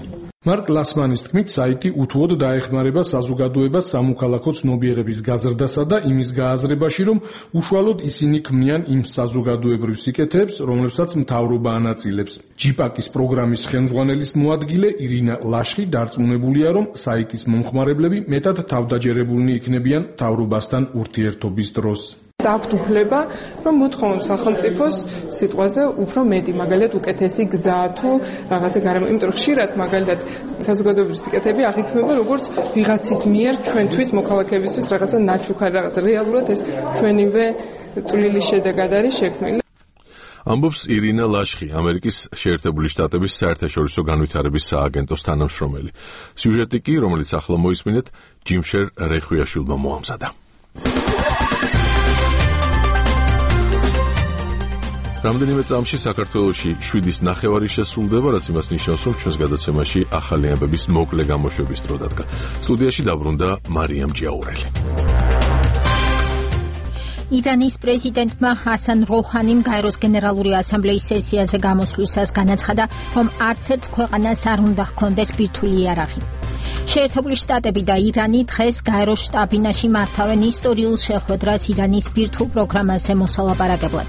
მარკ ლასმანის თქმით, საიტი უთუოდ დაეხმარება საზოგადოებას სამოქალაქო ცნობიერების გაზრდასა და იმის გააზრებაში, რომ უშუალოდ ისინი ქმნიან იმ საზოგადოებრივ სიკეთეებს, რომლებსაც მთავრობა ანაწილებს. ჯიპაკის პროგრამის ხელმძღვანელის მოადგილე ირინა ლაშხი დარწმუნებულია, რომ საიტის მომხმარებლები მეტად თავდაჯერებულნი იქნებიან მთავრობასთან ურთიერთობის დროს. Აქვთ უფლება, რომ მოთხოვონ სახელმწიფოს სიტყვაზე უფრო მეტი, მაგალითად უკეთესი გზა თუ რაღაცა გარემო, იმიტომ რომ ხშირად მაგალითად საზოგადოებრივი სიკეთეები აღიქმება როგორც ვიღაცის მიერ ჩვენთვის მოქალაქეებისთვის რაღაცა ნაჩუქარი, რაღაცა რეალურად ეს ჩვენივე წვლილი შედეგად არის შექმნილი. ამბობს ირინა ლაშხი, ამერიკის შეერთებული შტატების საერთაშორისო განვითარების სააგენტოს თანამშრომელი. სიუჟეტი კი, რომელიც ახლა მოისმინეთ, ჯიმშერ რეხვიაშვილმა მოამზადა. რამდენიმე წამში საქართველოში 7.5 შესრულდება, რაც იმას ნიშნავს, რომ ჩვენს გადაცემაში ახალი ამბების მოკლე გამოშვების დრო დადგა. სტუდიაში დაბრუნდა მარიამ ჯიაურელი. ირანის პრეზიდენტმა ჰასან როჰანიმ გაეროს გენერალური ასამბლეის სესიაზე გამოსვლისას განაცხადა, რომ არც ერთ ქვეყანას არ უნდა ჰქონდეს ბირთვული იარაღი. შეერთებული შტატები და ირანი დღეს გაეროს შტაბ-ბინაში მართავენ ისტორიულ შეხვედრას ირანის ბირთვულ პროგრამაზე მოსალაპარაკებლად.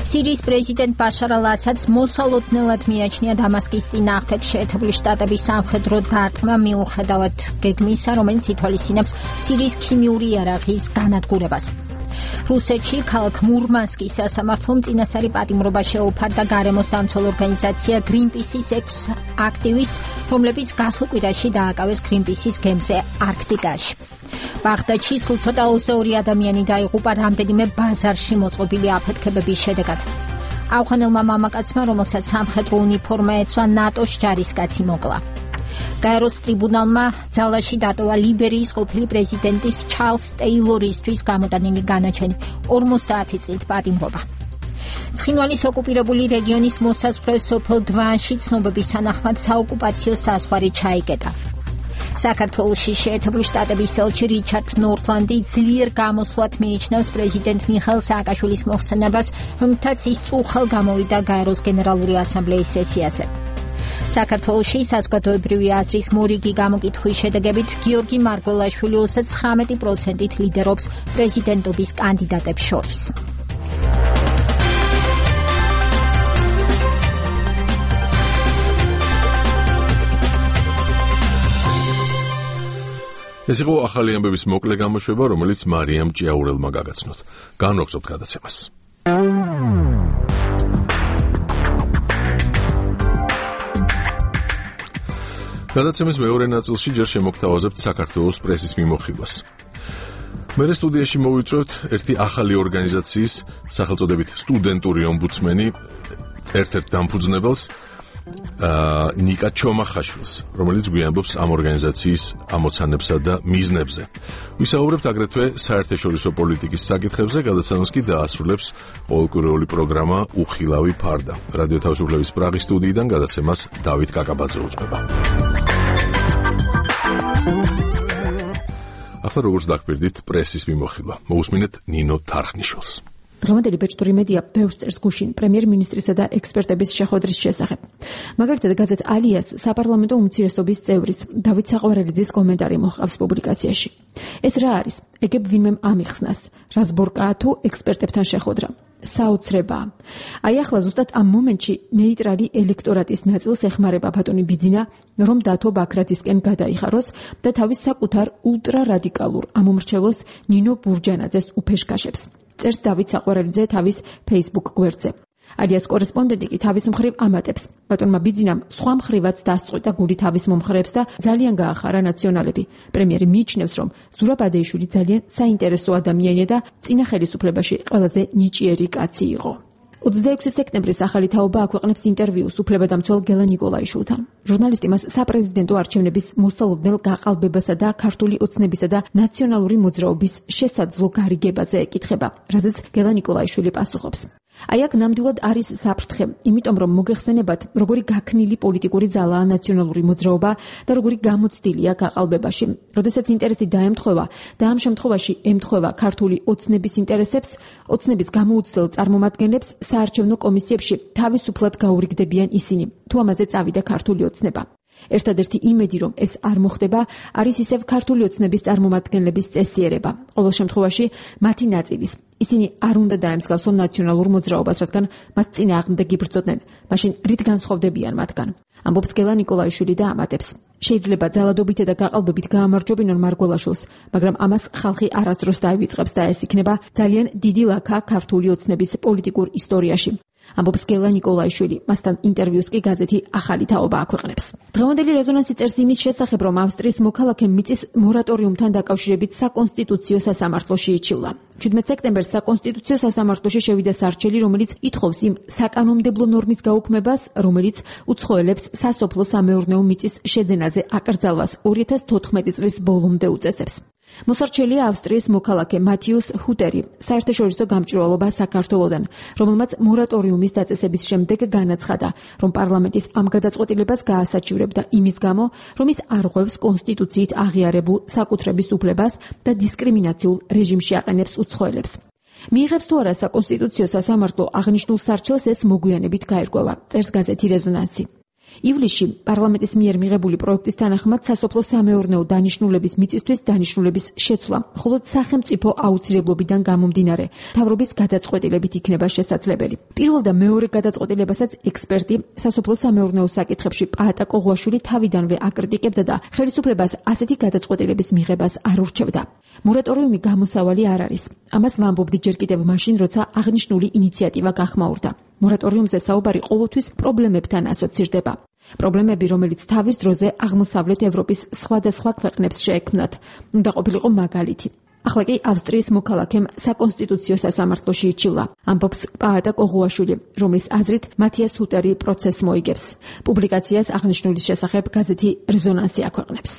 სირიის პრეზიდენტ ბაშარ ალ-ასადს მოსალოდნელად მიაჩნია დამასკის წინააღმდეგ შეერთებული შტატების სამხედრო დარტყმა მიუხედავად გეგმისა, რომელიც ითვალისწინებს სირიის ქიმიური იარაღის განადგურებას. რუსეთში ქალაქ მურმანსკის სასამართლომ წინასწარი პატიმრობა შეუფარდა გარემოს დამცველ ორგანიზაცია გრინპისის 6 აქტივისტს, რომლებიც გასულ კვირაში დააკავეს გრინპისის გემზე არქტიკაში. ბაღდადში სულ ცოტა 22 ადამიანი დაიღუპა რამდენიმე ბაზარში მოწყობილი აფეთქებების შედეგად. ავღანელმა მამაკაცმა, რომელსაც სამხედრო უნიფორმა ეცვა, ნატოს ჯარისკაცი მოკლა. გაეროს ტრიბუნალმა ძალაში დატოვა ლიბერიის ყოფილი პრეზიდენტის ჩარლზ ტეილორისთვის გამოტანილი განაჩენი 50 წლით პატიმრობა. ცხინვალის ოკუპირებული რეგიონის მოსაზღვრე სოფელ დვანში ცნობების თანახმად საოკუპაციო საზღვარი ჩაიკეტა. საქართველოში შეერთებული შტატების ელჩი რიჩარდ ნორთლანდი ძლიერ გამოსვლად მიიჩნევს პრეზიდენტ მიხეილ სააკაშვილის მოხსენებას, რომლითაც ის წუხელ გამოვიდა გაეროს გენერალური ასამბლეის სესიაზე. საქართველოში საზოგადოებრივი აზრის მორიგი გამოკითხვის შედეგებით გიორგი მარგველაშვილი 39%-ით ლიდერობს პრეზიდენტობის კანდიდატებს შორის. ეს იყო ახალი ამბების მოკლე გამოშვება, რომელიც მარიამ ჭიაურელმა გაგაცნოთ. განვაგრძობთ გადაცემას. გადაცემის მეორე ნაწილში ჯერ შემოგთავაზებთ საქართველოს პრესის მიმოხილვას. მერე სტუდიაში მოვიწვევთ ერთი ახალი ორგანიზაციის, სახელწოდებით სტუდენტური ომბუდსმენი, ერთ-ერთ დამფუძნებელს, ნიკა ჩომახაშვილს, რომელიც გვიამბობს ამ ორგანიზაციის ამოცანებსა და მიზნებზე. ვისაუბრებთ აგრეთვე საერთაშორისო პოლიტიკის საკითხებზე, გადაცემას კი დაასრულებს ყოველკვირეული პროგრამა უხილავი ფარდა. რადიო თავისუფლების პრაღის სტუდიიდან გადაცემას დავით კაკაბაძე უძღვება. ახლა როგორც დაგპირდით პრესის მიმოხილვა. მოусმინეთ ნინო თარხნიშვილს. დღევანდელი ბეჭდური მედია ბევრს წერს გუშინ პრემიერ-მინისტრისა და ექსპერტების შეხვედრის შესახებ. მაგალითად, გაზეთ ალიას საპარლამენტო უმცირესობის წევრის დავით საყვარელიძის კომენტარი მოჰყავს პუბლიკაციაში. ეს რა არის? ეგებ ვინმემ ამიხსნას. რაზბორკაა თუ ექსპერტებთან შეხვედრა? საოცრებაა. აი ახლა ზუსტად ამ მომენტში ნეიტრალი ელექტორატის ნაწილს ეხმარება ბატონი ბიძინა, რომ დათო ბაქრაძისკენ გადაიხაროს და თავის საკუთარ ულტრარადიკალურ ამომრჩეველს ნინო ბურჯანაძეს უფეშკაშებს. წერს დავით საყვარელიძე თავის Facebook გვერდზე. ალიას კორესპონდენტი კი თავის მხრივ ამატებს. ბატონმა ბიძინამ სხვა მხრივაც დასწყვიტა გული თავის მომხრეებს და ძალიან გაახარა ნაციონალები. პრემიერი მიიჩნევს, რომ ზურაბადეიშვილი ძალიან საინტერესო ადამიანია და წინა ხელისუფლებაში ყველაზე ნიჭიერი კაცი იყო. 26 სექტემბრის ახალი თაობა აქვეყნებს ინტერვიუს უფლებადამცველ გელა ნიკოლაიშვილთან. ჟურნალისტი მას საპრეზიდენტო არჩევნების მოსალოდნელ გაყალბებასა და ქართული ოცნებისა და ნაციონალური მოძრაობის შესაძლო გარიგებაზე ეკითხება, რაზეც გელა ნიკოლაიშვილი პასუხობს. აი აქ ნამდვილად არის საფრთხე, იმიტომ რომ მოგეხსენებათ, როგორი გაქნილი პოლიტიკური ძალაა ნაციონალური მოძრაობა და როგორი გამოცდილია გაყალბებაში. როდესაც ინტერესი დაემთხვევა და ამ შემთხვევაში ემთხვევა ქართული ოცნების ინტერესებს, ოცნების გამოუცდელ წარმომადგენლებს საარჩევნო კომისიებში თავისუფლად გაურიგდებიან ისინი, თუ ამაზე წავიდა ქართული ოცნება. ერთადერთი იმედი, რომ ეს არ მოხდება, არის ისევ ქართული ოცნების წარმომადგენლების წესიერება. ყოველ შემთხვევაში, მათი ნაწილის. ისინი არ უნდა დაემსგავსონ ნაციონალურ მოძრაობას, რადგან მათ წინააღმდეგ იბრძოდნენ. მაშინ რით განსხვავდებიან მათგან? ამბობს გელა ნიკოლაიშვილი და ამატებს. შეიძლება ძალადობით და გაყალბებით გაამარჯვებინონ მარგველაშვილს, მაგრამ ამას ხალხი არასდროს დაივიწყებს და ეს იქნება ძალიან დიდი ლაქა ქართული ოცნების პოლიტიკურ ისტორიაში. ამბობს გელა ნიკოლაიშვილი, მასთან ინტერვიუს კი გაზეთი ახალი თაობა აქვეყნებს. დღევანდელი რეზონანსი წერს იმის შესახებ, რომ ავსტრიის მოქალაქე მიწის მორატორიუმთან დაკავშირებით საკონსტიტუციო სასამართლოში იჩივლა. 17 სექტემბერს საკონსტიტუციო სასამართლოში შევიდა სარჩელი, რომელიც ითხოვს იმ საკანონმდებლო ნორმის გაუქმებას, რომელიც უცხოელებს სასოფლო-სამეურნეო მიწის შეძენაზე აკრძალვას 2014 წლის ბოლომდე უწესებს. მოსარჩელია ავსტრიის მოქალაქე მათიუს ჰუტერი, საერთაშორისო გამჭვირვალობა საქართველოდან, რომელმაც მორატორიუმის დაწესების შემდეგ განაცხადა, რომ პარლამენტის ამ გადაწყვეტილებას გაასაჩივრებდა იმის გამო, რომ ის არღვევს კონსტიტუციით აღიარებულ საკუთრების უფლებას და დისკრიმინაციულ რეჟიმში აყენებს უცხოელებს. მიიღებს თუ არა საკონსტიტუციო სასამართლო აღნიშნულ სარჩელს, ეს მოგვიანებით გაერკვევა, წერს გაზეთი რეზონანსი. ივლისში პარლამენტის მიერ მიღებული პროექტის თანახმად სასოფლო-სამეურნეო დანიშნულების მიწისთვის დანიშნულების შეცვლა მხოლოდ სახელმწიფო აუცილებლობიდან გამომდინარე მთავრობის გადაწყვეტილებით იქნება შესაძლებელი. პირველ და მეორე გადაწყვეტილებასაც ექსპერტი სასოფლო-სამეურნეო საკითხებში პაატა კოღუაშვილი თავიდანვე აკრიტიკებდა და ხელისუფლებას ასეთი გადაწყვეტილების მიღებას არ ურჩევდა. მორატორიუმი გამოსავალი არ არის. ამას ვამბობდი ჯერ კიდევ მაშინ, როცა აღნიშნული ინიციატივა გახმაურდა. მორატორიუმზე საუბარი ყოველთვის პრობლემებთან ასოცირდება. პრობლემები, რომელიც თავის დროზე აღმოსავლეთ ევროპის სხვადასხვა ქვეყნებს შეექმნათ, უნდა ყოფილიყო მაგალითი. ახლა კი ავსტრიის მოქალაქემ საკონსტიტუციო სასამართლოში იჩივლა, ამბობს პაატა კოღუაშვილი, რომლის აზრით მათიას ჰუტერი პროცესს მოიგებს. პუბლიკაციას აღნიშნულის შესახებ გაზეთი რეზონანსი აქვეყნებს.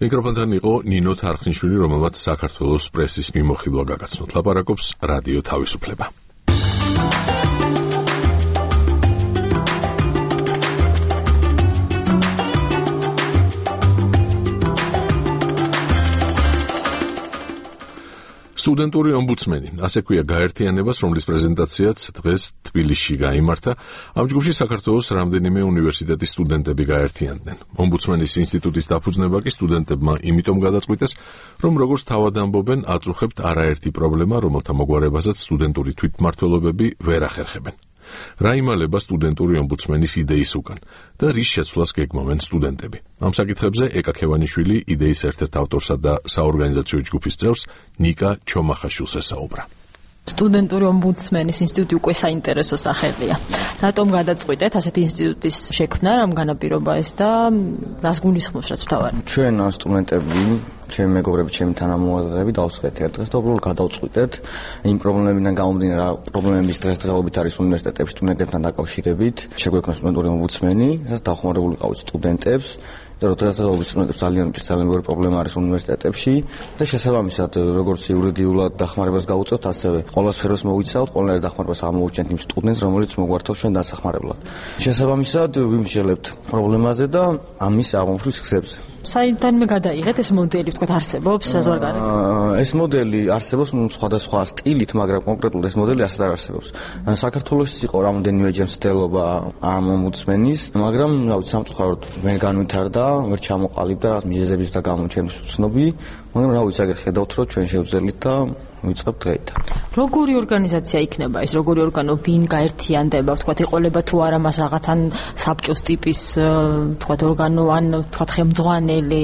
მიკროფონთან იყო ნინო თარხნიშვილი, რომელმაც საქართველოს პრესის მიმოხილვა გაგაცნოთ. ლაპარაკობს რადიო თავისუფლება. სტუდენტური ომბუდსმენი, ასე ქვია გაერთიანებას, რომლის პრეზენტაციაც დღეს თბილისში გაიმართა. ამ ჯგუფში საქართველოს რამდენიმე უნივერსიტეტის სტუდენტები გაერთიანდნენ. ომბუდსმენის ინსტიტუტის დაფუძნება კი სტუდენტებმა იმიტომ გადაწყვიტეს, რომ როგორც თავად ამბობენ, აწუხებთ არაერთი პრობლემა, რომელთა მოგვარებაზეც სტუდენტური თვითმმართველობები ვერ ახერხებენ. რა იმალება სტუდენტური ომბუდსმენის იდეის უკან და რის შეცვლას გეგმავენ სტუდენტები? ამ საკითხებზე ეკა ქევანიშვილი იდეის ერთ-ერთ ავტორსა და საორგანიზაციო ჯგუფის წევრს ნიკა ჩომახაშვილს ესაუბრა. სტუდენტური ომბუდსმენის ინსტიტუტი უკვე საინტერესო სახელია. რატომ გადაწყვიტეთ ასეთი ინსტიტუტის შექმნა, რამ განაპირობა ეს და რას გულისხმობს, რაც თავარი? ჩვენ სტუდენტები, ჩემი მეგობრები, ჩემი თანამოაზრეები დავსვეთ ერთ დღეს და უბრალოდ გადავწყვიტეთ იმ პრობლემებიდან გამომდინარე, რა პრობლემების დღესდღეობით არის უნივერსიტეტებში სტუდენტებთან დაკავშირებით. შეგვექმნა სტუდენტური ომბუდსმენი, რასაც დავხმარებული ყავით სტუდენტებს. და დღესდღეობით სტუდენტებს ძალიან ბევრი პრობლემა არის უნივერსიტეტებში და შესაბამისად როგორც იურიდიულად დახმარებას გავუწევთ, ასევე ყველა სფეროს მოვიცავთ, ყველანაირ დახმარებას ამოვუჩენთ იმ სტუდენტს, რომელიც მოგვართავს ჩვენ დასახმარებლად. შესაბამისად ვიმსჯელებთ პრობლემაზე და ამის აღმოფხვის გზებზე. საიდანვე გადაიღეთ ეს მოდელი, თქვათ, არსებობს საზღვარგარეთ? ეს მოდელი არსებობს სხვადასხვა სტილით, მაგრამ კონკრეტულად ეს მოდელი ასეთ არ არსებობს. საქართველოს იყო რამდენიმეჯერ მცდელობა ამ ომბუდსმენის, მაგრამ რავი, სამწუხაროდ ვერ განვითარდა, ვერ ჩამოყალიბდა რაღაც მიზეზების და გამო ჩემთვის უცნობი, მაგრამ რავი, აგერ ხედავთ, რომ ჩვენ შევძელით და ვიწყებთ დღეიდან. როგორი ორგანიზაცია იქნება ეს? როგორი ორგანო, ვინ გაერთიანდება, თქვათ, ეყოლება თუ არა მას რაღაცან საბჭოს ტიპის, თქვათ, ორგანო ან თქვათ, ხელმძღვანელი?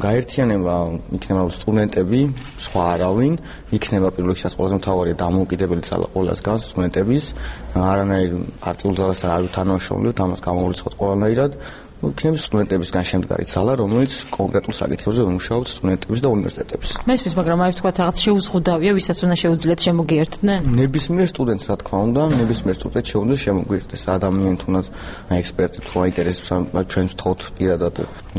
გაერთიანება იქნება სტუდენტები, სხვა არავინ, იქნება პირველ რიგში ყველაზე მთავარია დამოუკიდებელი ძალა ყველასგან სტუდენტების, არანაირ პარტიულ ძალასთან არ ვითანამშრომლობთ, ამას გამოვრიცხოთ ყველანაირად. იქნება სტუდენტებისგან შემდგარი ძალა, რომელიც კონკრეტულ საკითხებზე უმუშაობს სტუდენტების და უნივერსიტეტების. მესმის, მაგრამ აი თქვათ რაღაც შეუზღუდავია, ვისაც უნდა შეუძლიათ შემოგიერთდნენ? ნებისმიერ სტუდენტს, რა თქმა უნდა, ნებისმიერ სტუდენტს შეუძლია შემოგვიერთდეს. ადამიანი თუნდაც ექსპერტი თუ აინტერესებს, ჩვენს თხოვთ პირადად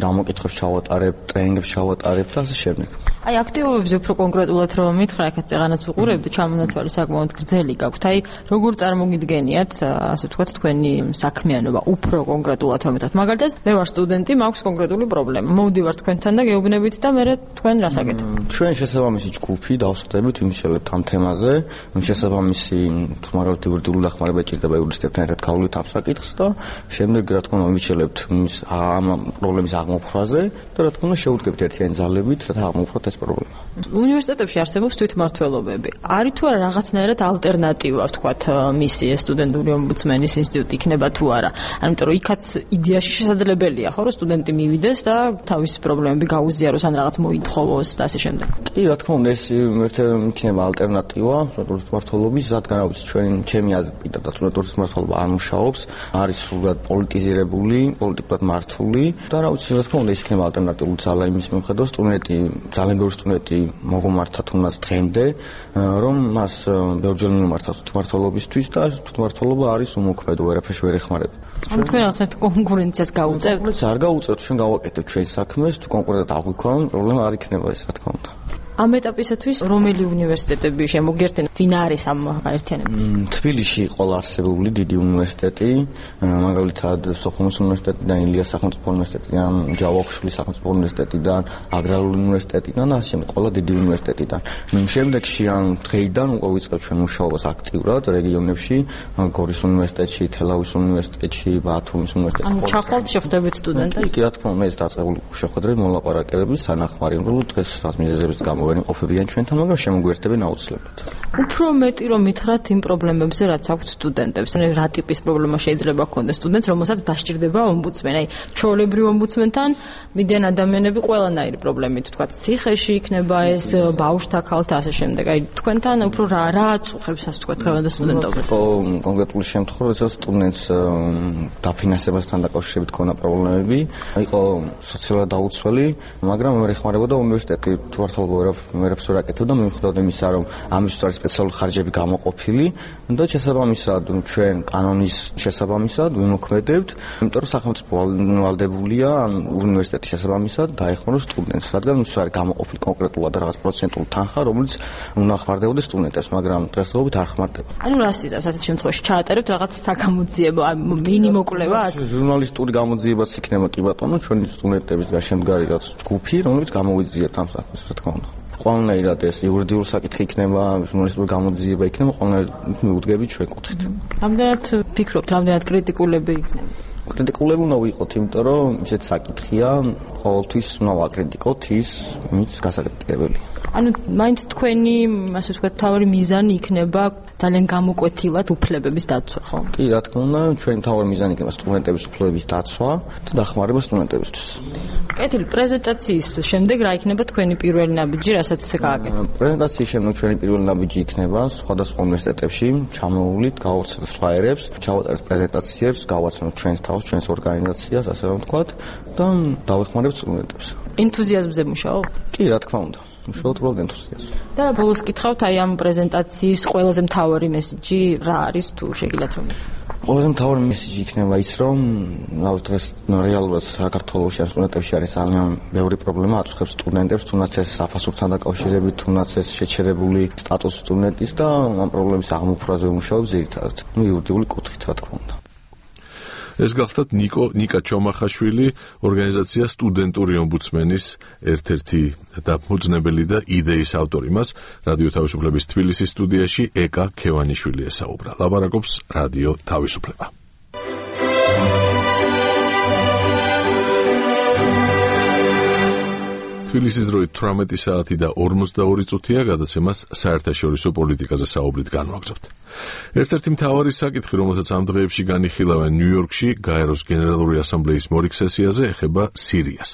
გამოკითხვებს ჩავატარებ, ტრენინგებს ჩავატარებ და ასე შემდეგ. აი აქტივობებზე უფრო კონკრეტულად რომ მითხრა, აქაც ეღანაც ვუყურებდი, ჩამონათვალი საკმაოდ გრძელი გაქვთ. აი როგორ წარმოგიდგენიათ, ასე ვთქვათ, თქვენი საქმიანობა უფრო კონკრეტულად რომ მითხრათ. მაგალითად, მე ვარ სტუდენტი, მაქვს კონკრეტული პრობლემა. მოვდივარ თქვენთან და გეუბნებით და მე თქვენ რას აკეთებთ? ჩვენ შესაბამისი ჯგუფი დავსხდებით ვიმუშავებთ ამ თემაზე. შესაბამისი თუმარალ იურიდიული დახმარება ჭირდება იურისტებთან ერთად გავვლით ამ საკითხს და შემდეგ რა თქმა უნდა ვიმუშავებთ ამ პრობლემის აღმოფხვრაზე და რა თქმა უნდა შევუდგებთ ერთიანი ძალებით, რათა აღმოფხვრათ ეს პრობლემა. უნივერსიტეტებში არსებობს თვითმმართველობები. არის თუ არა რაღაცნაირად ალტერნატივა, ვთქვათ, მისია სტუდენტური ომბუდსმენის ინსტიტუტი იქნება თუ არა? ამიტომ რომ იქაც იდეაში შესაძლებელია, ხო, რომ სტუდენტი მივიდეს და თავისი პრობლემები გაუზიაროს ან რაღაც მოითხოვოს და ასე შემდეგ. კი, რა თქმა უნდა, ეს იქნება ალტერნატივა თვითმმართველობის, რადგან რა ვიცი, ჩემი აზრით პირდადად თვითმმართველობა არ მუშაობს, არის სრულად პოლიტიზირებული, პოლიტიკურად მართული და რა ვიცი, რა თქმა უნდა, ეს იქნება ალტერნატიული ძალა იმის მიუხედავად, სტუდენტი, ძალიან ბევრი სტუდენტი მოგმართა თუნდაც დღემდე, რომ მას ბევრჯერ მიმართა თვითმმართველობისთვის და თვითმმართველობა არის უმოქმედო, ვერაფერს ვერ ეხმარება. თქვენ რაღაცა კონკურენციას გაუწევთ? არ გაუწევთ, ჩვენ გავაკეთებთ ჩვენ საქმეს, თუ კონკრეტულად აღვიქვამთ, პრობლემა არ იქნება ეს, რა თქმა უნდა. ამ ეტაპისათვის რომელი უნივერსიტეტები შემოგერთენ? ვინ არის ამ გაერთიანებაში? თბილისში ყოლა არსებული დიდი უნივერსიტეტი, მაგალითად სოხუმის უნივერსიტეტიდან, ილიას სახელმწიფო უნივერსიტეტიდან, ჯავახიშვილის სახელმწიფო უნივერსიტეტიდან, აგრარული უნივერსიტეტიდან, ასე შემდეგ ყოლა დიდი უნივერსიტეტიდან. შემდეგში ან დღეიდან უკვე ვიწყებთ ჩვენ მუშაობას აქტიურად რეგიონებში, გორის უნივერსიტეტში, თელავის უნივერსიტეტში, ბათუმის უნივერსიტეტში. ანუ ჩახვალთ შეხვდებით სტუდენტებს? კი, რა თქმა უნდა, ეს დაწყებული შეხვედრები მოლაპარაკებების თანახმარი, რომ დღეს რაც მიზეზების გამო ვერ იმყოფებიან ჩვენთან, მაგრამ შემოგვიერთებენ აუცილებლად. უფრო მეტი რომ მითხრათ იმ პრობლემებზე, რაც აქვთ სტუდენტებს, ანუ რა ტიპის პრობლემა შეიძლება ჰქონდეს სტუდენტს, რომელსაც დასჭირდება ომბუდსმენი. აი, ჩვეულებრივ ომბუდსმენთან მიდიან ადამიანები ყველანაირი პრობლემით, თქვა ციხეში იქნება ეს, ბავშვთა ქალთა ასე შემდეგ. აი, თქვენთან უფრო რა აწუხებს, ასე თქვა, დღევანდელ სტუდენტობას? კონკრეტული შემთხვევა, როდესაც სტუდენტს დაფინანსებასთან დაკავშირებით ქონა პრობლემები, იყო სოციალურად დაუცველი, მაგრამ ვერ ეხმარებოდა უნივერსიტეტი თვითმმართველობა ვერაფერს ვერ აკეთებდა, მიუხედავად იმისა, რომ ამისთვის არის სპეციალური ხარჯები გამოყოფილი და შესაბამისად ჩვენ კანონის შესაბამისად ვიმოქმედებთ, იმიტომ რომ სახელმწიფო ვალდებულია უნივერსიტეტის შესაბამისად დაეხმაროს სტუდენტს, რადგან ის არის გამოყოფილი კონკრეტულად რაღაც პროცენტული თანხა, რომელიც უნდა ხმარდებოდეს სტუდენტებს, მაგრამ დღესდღეობით არ ხმარდება. ანუ რას იწევს ასეთ შემთხვევაში? ჩაატარებთ რაღაც საგამოძიებო, მინიმოკლება? ჟურნალისტური გამოძიებაც იქნება კი ბატონო, ჩვენი სტუდენტების გარშემდგარი რაც ჯგუფი, რომელიც გამოვიძიებთ ამ საქმეს, რა თქმა უნდა. ყველანაირად ეს იურიდიული საკითხი იქნება, ჟურნალისტური გამოძიება იქნება, ყველანაირად მივუდგებით ჩვენ კუთხით. რამდენად ფიქრობთ, რამდენად კრიტიკულები იქნება? კრიტიკულები უნდა ვიყოთ, იმიტომ რომ ისეთ საკითხია, ყოველთვის უნდა ვაკრიტიკოთ ის, ვინც გასაკრიტიკებელია. ანუ მაინც თქვენი, ასე ვთქვათ, თავი მიზანი იქნება ძალიან გამოკვეთილად უფლებების დაცვა, ხო? კი, რა თქმა უნდა, ჩვენი თავი მიზანი იქნება სტუდენტების უფლებების დაცვა და დახმარება სტუდენტებისთვის. კეთილი, პრეზენტაციის შემდეგ რა იქნება თქვენი პირველი ნაბიჯი, რასაც გააკეთებთ? პრეზენტაციის შემდეგ ჩვენი პირველი ნაბიჯი იქნება სხვადასხვა უნივერსიტეტებში, ჩამოვლით, გავაცნობთ ფლაიერებს, ჩავატარებთ პრეზენტაციებს, გავაცნობთ ჩვენს თავს, ჩვენს ორგანიზაციას, ასე რომ ვთქვათ, და დავეხმარებთ სტუდენტებს. ენთუზიაზმზე მუშაობთ? კი, რა თქმა უნდა. მუშაობთ უბრალოდ ენთუზიაზმზე. და ბოლოს კითხავთ, აი ამ პრეზენტაციის ყველაზე მთავარი მესიჯი რა არის, თუ შეგიძლიათ რომ? ყველაზე მთავარი მესიჯი იქნება ის, რომ დღეს რეალურად საქართველოში ან სტუდენტებში არის ძალიან ბევრი პრობლემა აწუხებს სტუდენტებს, თუნდაც ეს საფასურთან დაკავშირებით, თუნდაც ეს შეჩერებული სტატუსი სტუდენტის და ამ პრობლემის აღმოფხვრაზე ვიმუშაობთ ძირითადად. იურიდიული კუთხით, რა თქმა უნდა. ეს გახლდათ ნიკა ჩომახაშვილი, ორგანიზაცია სტუდენტური ომბუდსმენის ერთ-ერთი დამფუძნებელი და იდეის ავტორი. მას რადიო თავისუფლების თბილისის სტუდიაში ეკა ქევანიშვილი ესაუბრა. ლაპარაკობს რადიო თავისუფლება. თბილისის დროით 18 საათი და 42 წუთია, გადაცემას საერთაშორისო პოლიტიკაზე საუბრით განვაგრძობთ. ერთ-ერთი მთავარი საკითხი, რომელსაც ამ დღეებში განიხილავენ ნიუ-იორკში გაეროს გენერალური ასამბლეის მორიგ სესიაზე, ეხება სირიას.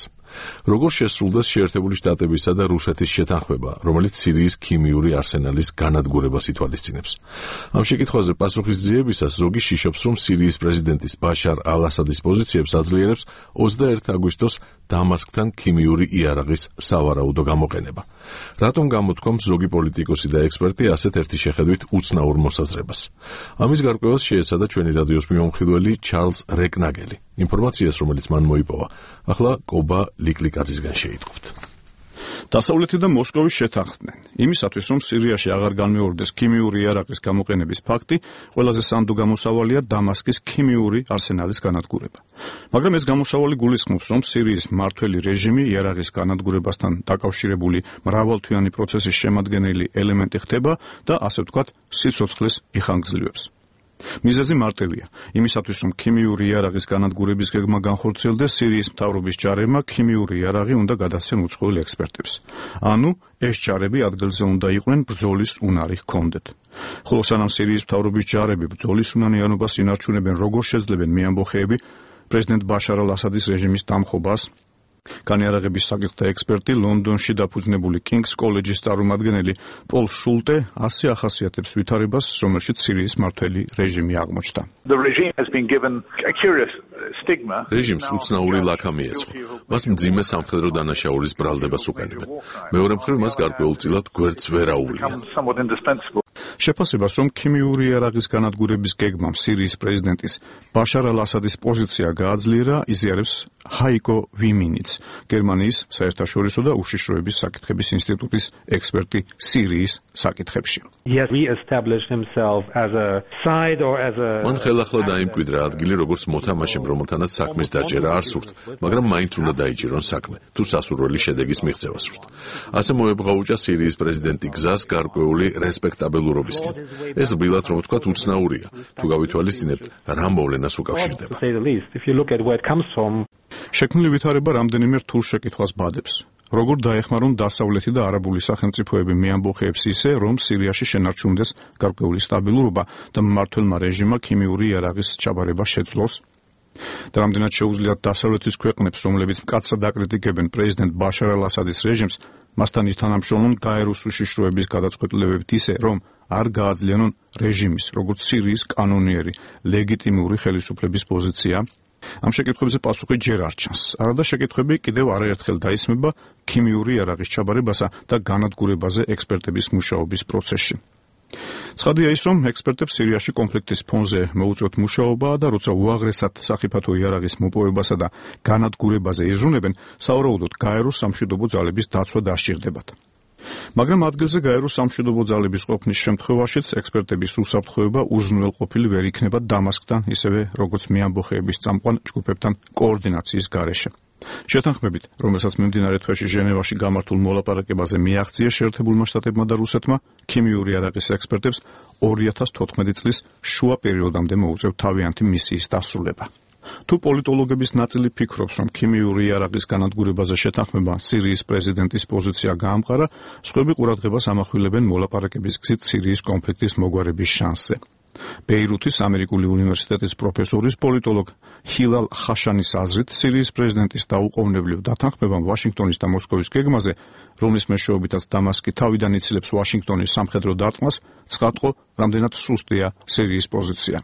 როგორ შესრულდა შეერთებული შტატებისა და რუსეთის შეთანხმება, რომელიც სირიის ქიმიური არსენალის განადგურებას ითვალისწინებს. ამ შეკითხვაზე პასუხისძიებისას ზოგი შიშობს, რომ სირიის პრეზიდენტის ბაშარ ალ-ასადის პოზიციებს აძლიერებს 21 აგვისტოს დამასკთან ქიმიური იარაღის სავარაუდო გამოყენება. რატომ გამოთქვამს ზოგი პოლიტიკოსი და ექსპერტი ასეთ ერთი შეხედვით უცნაურ მოსაზრებას? ამის გარკვევას შეეცადა ჩვენი რადიოს მიმომხილველი ჩარლზ რეკნაგელი. ინფორმაციას, რომელიც მან მოიპოვა, ახლა კობა ლიკლიკაძისგან შეიტყობთ. დასავლეთი და მოსკოვი შეთანხმდნენ იმისათვის, რომ სირიაში აღარ განმეორდეს ქიმიური იარაღის გამოყენების ფაქტი, ყველაზე სანდო გამოსავალია დამასკის ქიმიური არსენალის განადგურება. მაგრამ ეს გამოსავალი გულისხმობს, რომ სირიის მმართველი რეჟიმი იარაღის განადგურებასთან დაკავშირებული მრავალთვიანი პროცესის შემადგენელი ელემენტი ხდება და ასე ვთქვათ, სიცოცხლეს იხანგრძლივებს. მიზეზი მარტივია. იმისათვის, რომ ქიმიური იარაღის განადგურების გეგმა განხორციელდეს, სირიის მთავრობის ჯარებმა ქიმიური იარაღი უნდა გადასცენ უცხოელ ექსპერტებს. ანუ ეს ჯარები ადგილზე უნდა იყვნენ ბრძოლის უნარი ჰქონდეთ. ხოლო სანამ სირიის მთავრობის ჯარები ბრძოლის უნარიანობას ინარჩუნებენ, როგორ შეძლებენ მეამბოხეები პრეზიდენტ ბაშარ ალ-ასადის რეჟიმის დამხობას? განიარაღების საკითხთა ექსპერტი ლონდონში დაფუძნებული კინგს კოლეჯის წარმომადგენელი პოლ შულტე ასე ახასიათებს ვითარებას, რომელშიც სირიის მმართველი რეჟიმი აღმოჩნდა. რეჟიმს უცნაური ლაქა მიეწყო. მას მძიმე სამხედრო დანაშაულის ბრალდებას უყენებენ. მეორე მხრივ მას გარკვეულწილად გვერდს ვერ აუვლიან. შეფასებას, რომ ქიმიური იარაღის განადგურების გეგმამ სირიის პრეზიდენტის ბაშარ ალ-ასადის პოზიცია გააძლიერა, იზიარებს ჰაიკო ვიმინიც, გერმანიის საერთაშორისო და უშიშროების საკითხების ინსტიტუტის ექსპერტი სირიის საკითხებში. მან ხელახლა დაიმკვიდრა ადგილი, როგორც მოთამაშემ, რომელთანაც საქმის დაჭერა არ სურთ, მაგრამ მაინც უნდა დაიჭირონ საქმე, თუ სასურველი შედეგის მიღწევა სურთ. ასე მოებღაუჭა სირიის პრეზიდენტი გზას გარკვეული რესპექტაბელურობისკენ. ეს რბილად რომ ვთქვათ, უცნაურია, თუ გავითვალისწინებთ, რა მოვლენას უკავშირდება. შექმნილი ვითარება რამდენიმე რთულ შეკითხვას ბადებს. როგორ დაეხმარონ დასავლეთი და არაბული სახელმწიფოები მეამბოხეებს ისე, რომ სირიაში შენარჩუნდეს გარკვეული სტაბილურობა და მმართველმა რეჟიმმა ქიმიური იარაღის ჩაბარება შეძლოს? და რამდენად შეუძლიათ დასავლეთის ქვეყნებს, რომლებიც მკაცრად აკრიტიკებენ პრეზიდენტ ბაშარ ალ-ასადის რეჟიმს, მასთან ითანამშრომლონ გაეროს უშიშროების გადაწყვეტილებებით ისე, რომ არ გააძლიანონ რეჟიმის, როგორც სირიის კანონიერი, ლეგიტიმური ხელისუფლების პოზიცია? ამ შეკითხვებზე პასუხი ჯერ არ ჩანს. არადა შეკითხვები კიდევ არაერთხელ დაისმება ქიმიური იარაღის ჩაბარებასა და განადგურებაზე ექსპერტების მუშაობის პროცესში. ცხადია ის, რომ ექსპერტებს სირიაში კონფლიქტის ფონზე მოუწევთ მუშაობა და როცა უაღრესად სახიფათო იარაღის მოპოვებასა და განადგურებაზე იზრუნებენ, სავარაუდოდ გაეროს სამშვიდობო ძალების დაცვა დასჭირდებათ. მაგრამ ადგილზე გაეროს სამშვიდობო ძალების ყოფნის შემთხვევაშიც ექსპერტების უსაფრთხოება უზრუნველყოფილი ვერ იქნება დამასკთან, ისევე როგორც მეამბოხეების წამყვან ჯგუფებთან კოორდინაციის გარეშე. შეთანხმებით, რომელსაც მიმდინარე თვეში ჟენევაში გამართულ მოლაპარაკებაზე მიაღწია შეერთებულმა შტატებმა და რუსეთმა, ქიმიური იარაღის ექსპერტებს 2014 წლის შუა პერიოდამდე მოუწევთ თავიანთი მისიის დასრულება. თუ პოლიტოლოგების ნაწილი ფიქრობს, რომ ქიმიური იარაღის განადგურებაზე შეთანხმება სირიის პრეზიდენტის პოზიცია გაამყარა, სხვები ყურადღებას ამახვილებენ მოლაპარაკების გზით სირიის კონფლიქტის მოგვარების შანსზე. ბეირუთის ამერიკული უნივერსიტეტის პროფესორის პოლიტოლოგ ჰილალ ხაშანის აზრით, სირიის პრეზიდენტის დაუყოვნებლივ დათანხმებამ ვაშინგტონის და მოსკოვის გეგმაზე, რომლის მეშვეობითაც დამასკი თავიდან იცილებს ვაშინგტონის სამხედრო დარტყმას, ცხადყო, რამდენად სუსტია სირიის პოზიცია.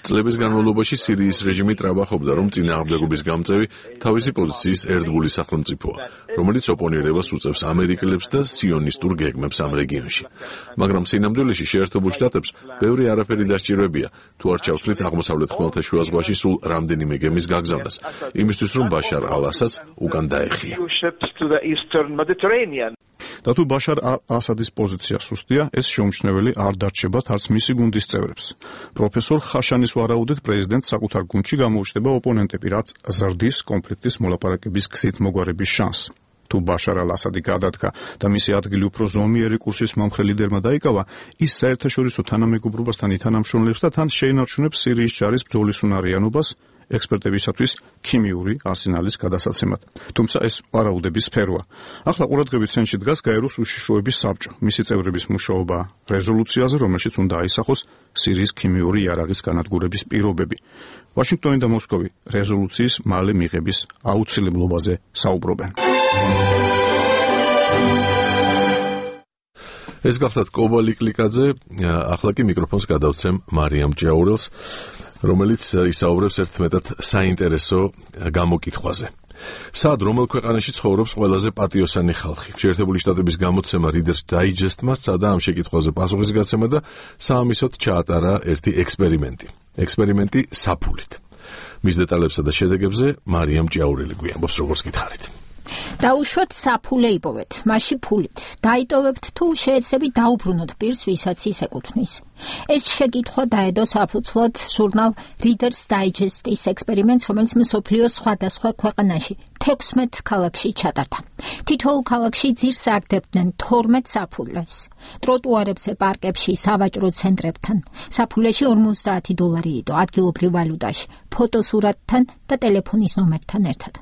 წლების განმავლობაში სირიის რეჟიმი ტრაბახობდა, რომ წინააღმდეგობის გამწევი თავისი პოზიციის ერთგული სახელმწიფოა, რომელიც ოპონირებას უწევს ამერიკელებს და სიონისტურ გეგმებს ამ რეგიონში. მაგრამ სინამდვილეში შეერთებულ შტატებს ბევრი არაფერი დასჭირებია, თუ არ ჩავთვლით აღმოსავლეთ ხმელთაშუა ზღვაში სულ რამდენიმე გემის გაგზავნას, იმისთვის რომ ბაშარ ალ-ასადს უკან დაეხია. და თუ ბაშარ ალ-ასადის პოზიცია სუსტია, ეს შეუმჩნეველი არ დარჩებათ არც მისი გუნდის წევრებს. პროფესორ ხაშანის ვარაუდით, პრეზიდენტს საკუთარ გუნდში გამოუჩნდება ოპონენტები, რაც ზრდის კონფლიქტის მოლაპარაკების გზით მოგვარების შანსს. თუ ბაშარ ალ-ასადი გადადგა და მისი ადგილი უფრო ზომიერი კურსის მომხრე ლიდერმა დაიკავა, ის საერთაშორისო თანამეგობრობასთან ითანამშრომლებს და თან შეინარჩუნებს სირიის ჯარის ბრძოლის უნარიანობას ექსპერტებისათვის ქიმიური არსენალის გადასაცემად. თუმცა ეს ვარაუდების სფეროა. ახლა ყურადღების ცენტრში დგას გაეროს უშიშროების საბჭო, მისი წევრების მუშაობა რეზოლუციაზე, რომელშიც უნდა აისახოს სირიის ქიმიური იარაღის განადგურების პირობები. ვაშინგტონი და მოსკოვი რეზოლუციის მალე მიღების აუცილებლობაზე საუბრობენ. ეს გახლავთ კობალი კლიკაძე, ახლა კი მიკროფონს გადავცემ მარიამ ჭიაურელს, რომელიც ისაუბრებს ერთმეტად საინტერესო გამოკითხვაზე. სად რომელ ქვეყანაში ცხოვრობს ყველაზე პატიოსანი ხალხი? შეერთებული შტატების გამოცემა Reader's Digest-მა სცადა ამ შეკითხვაზე პასუხისგაცემა და საამისოდ ჩაატარა ერთი ექსპერიმენტი საფულით. მის დეტალებსა და შედეგებზე მარიამ ჭიაურელი გვიამბობს, როგორც გითხარით. დაუშვათ საფულე იპოვეთ, მასში ფულით. დაიტოვებთ თუ შეეცდებით დაუბრუნოთ პირს, ვისაც ის ეკუთვნის. ეს შეკითხვა დაედო საფუძვლად ჟურნალ Reader's Digest-ის ექსპერიმენტს, რომელიც მსოფლიოს სხვადასხვა ქვეყანაში 16 ქალაქში ჩატარდა. თითოეულ ქალაქში ძირს აგდებდნენ 12 საფულეს. ტროტუარებზე, პარკებში, სავაჭრო ცენტრებთან. საფულეში $50 იდო ადგილობრივ ვალუტაში, ფოტოსურათთან და ტელეფონის ნომერთან ერთად.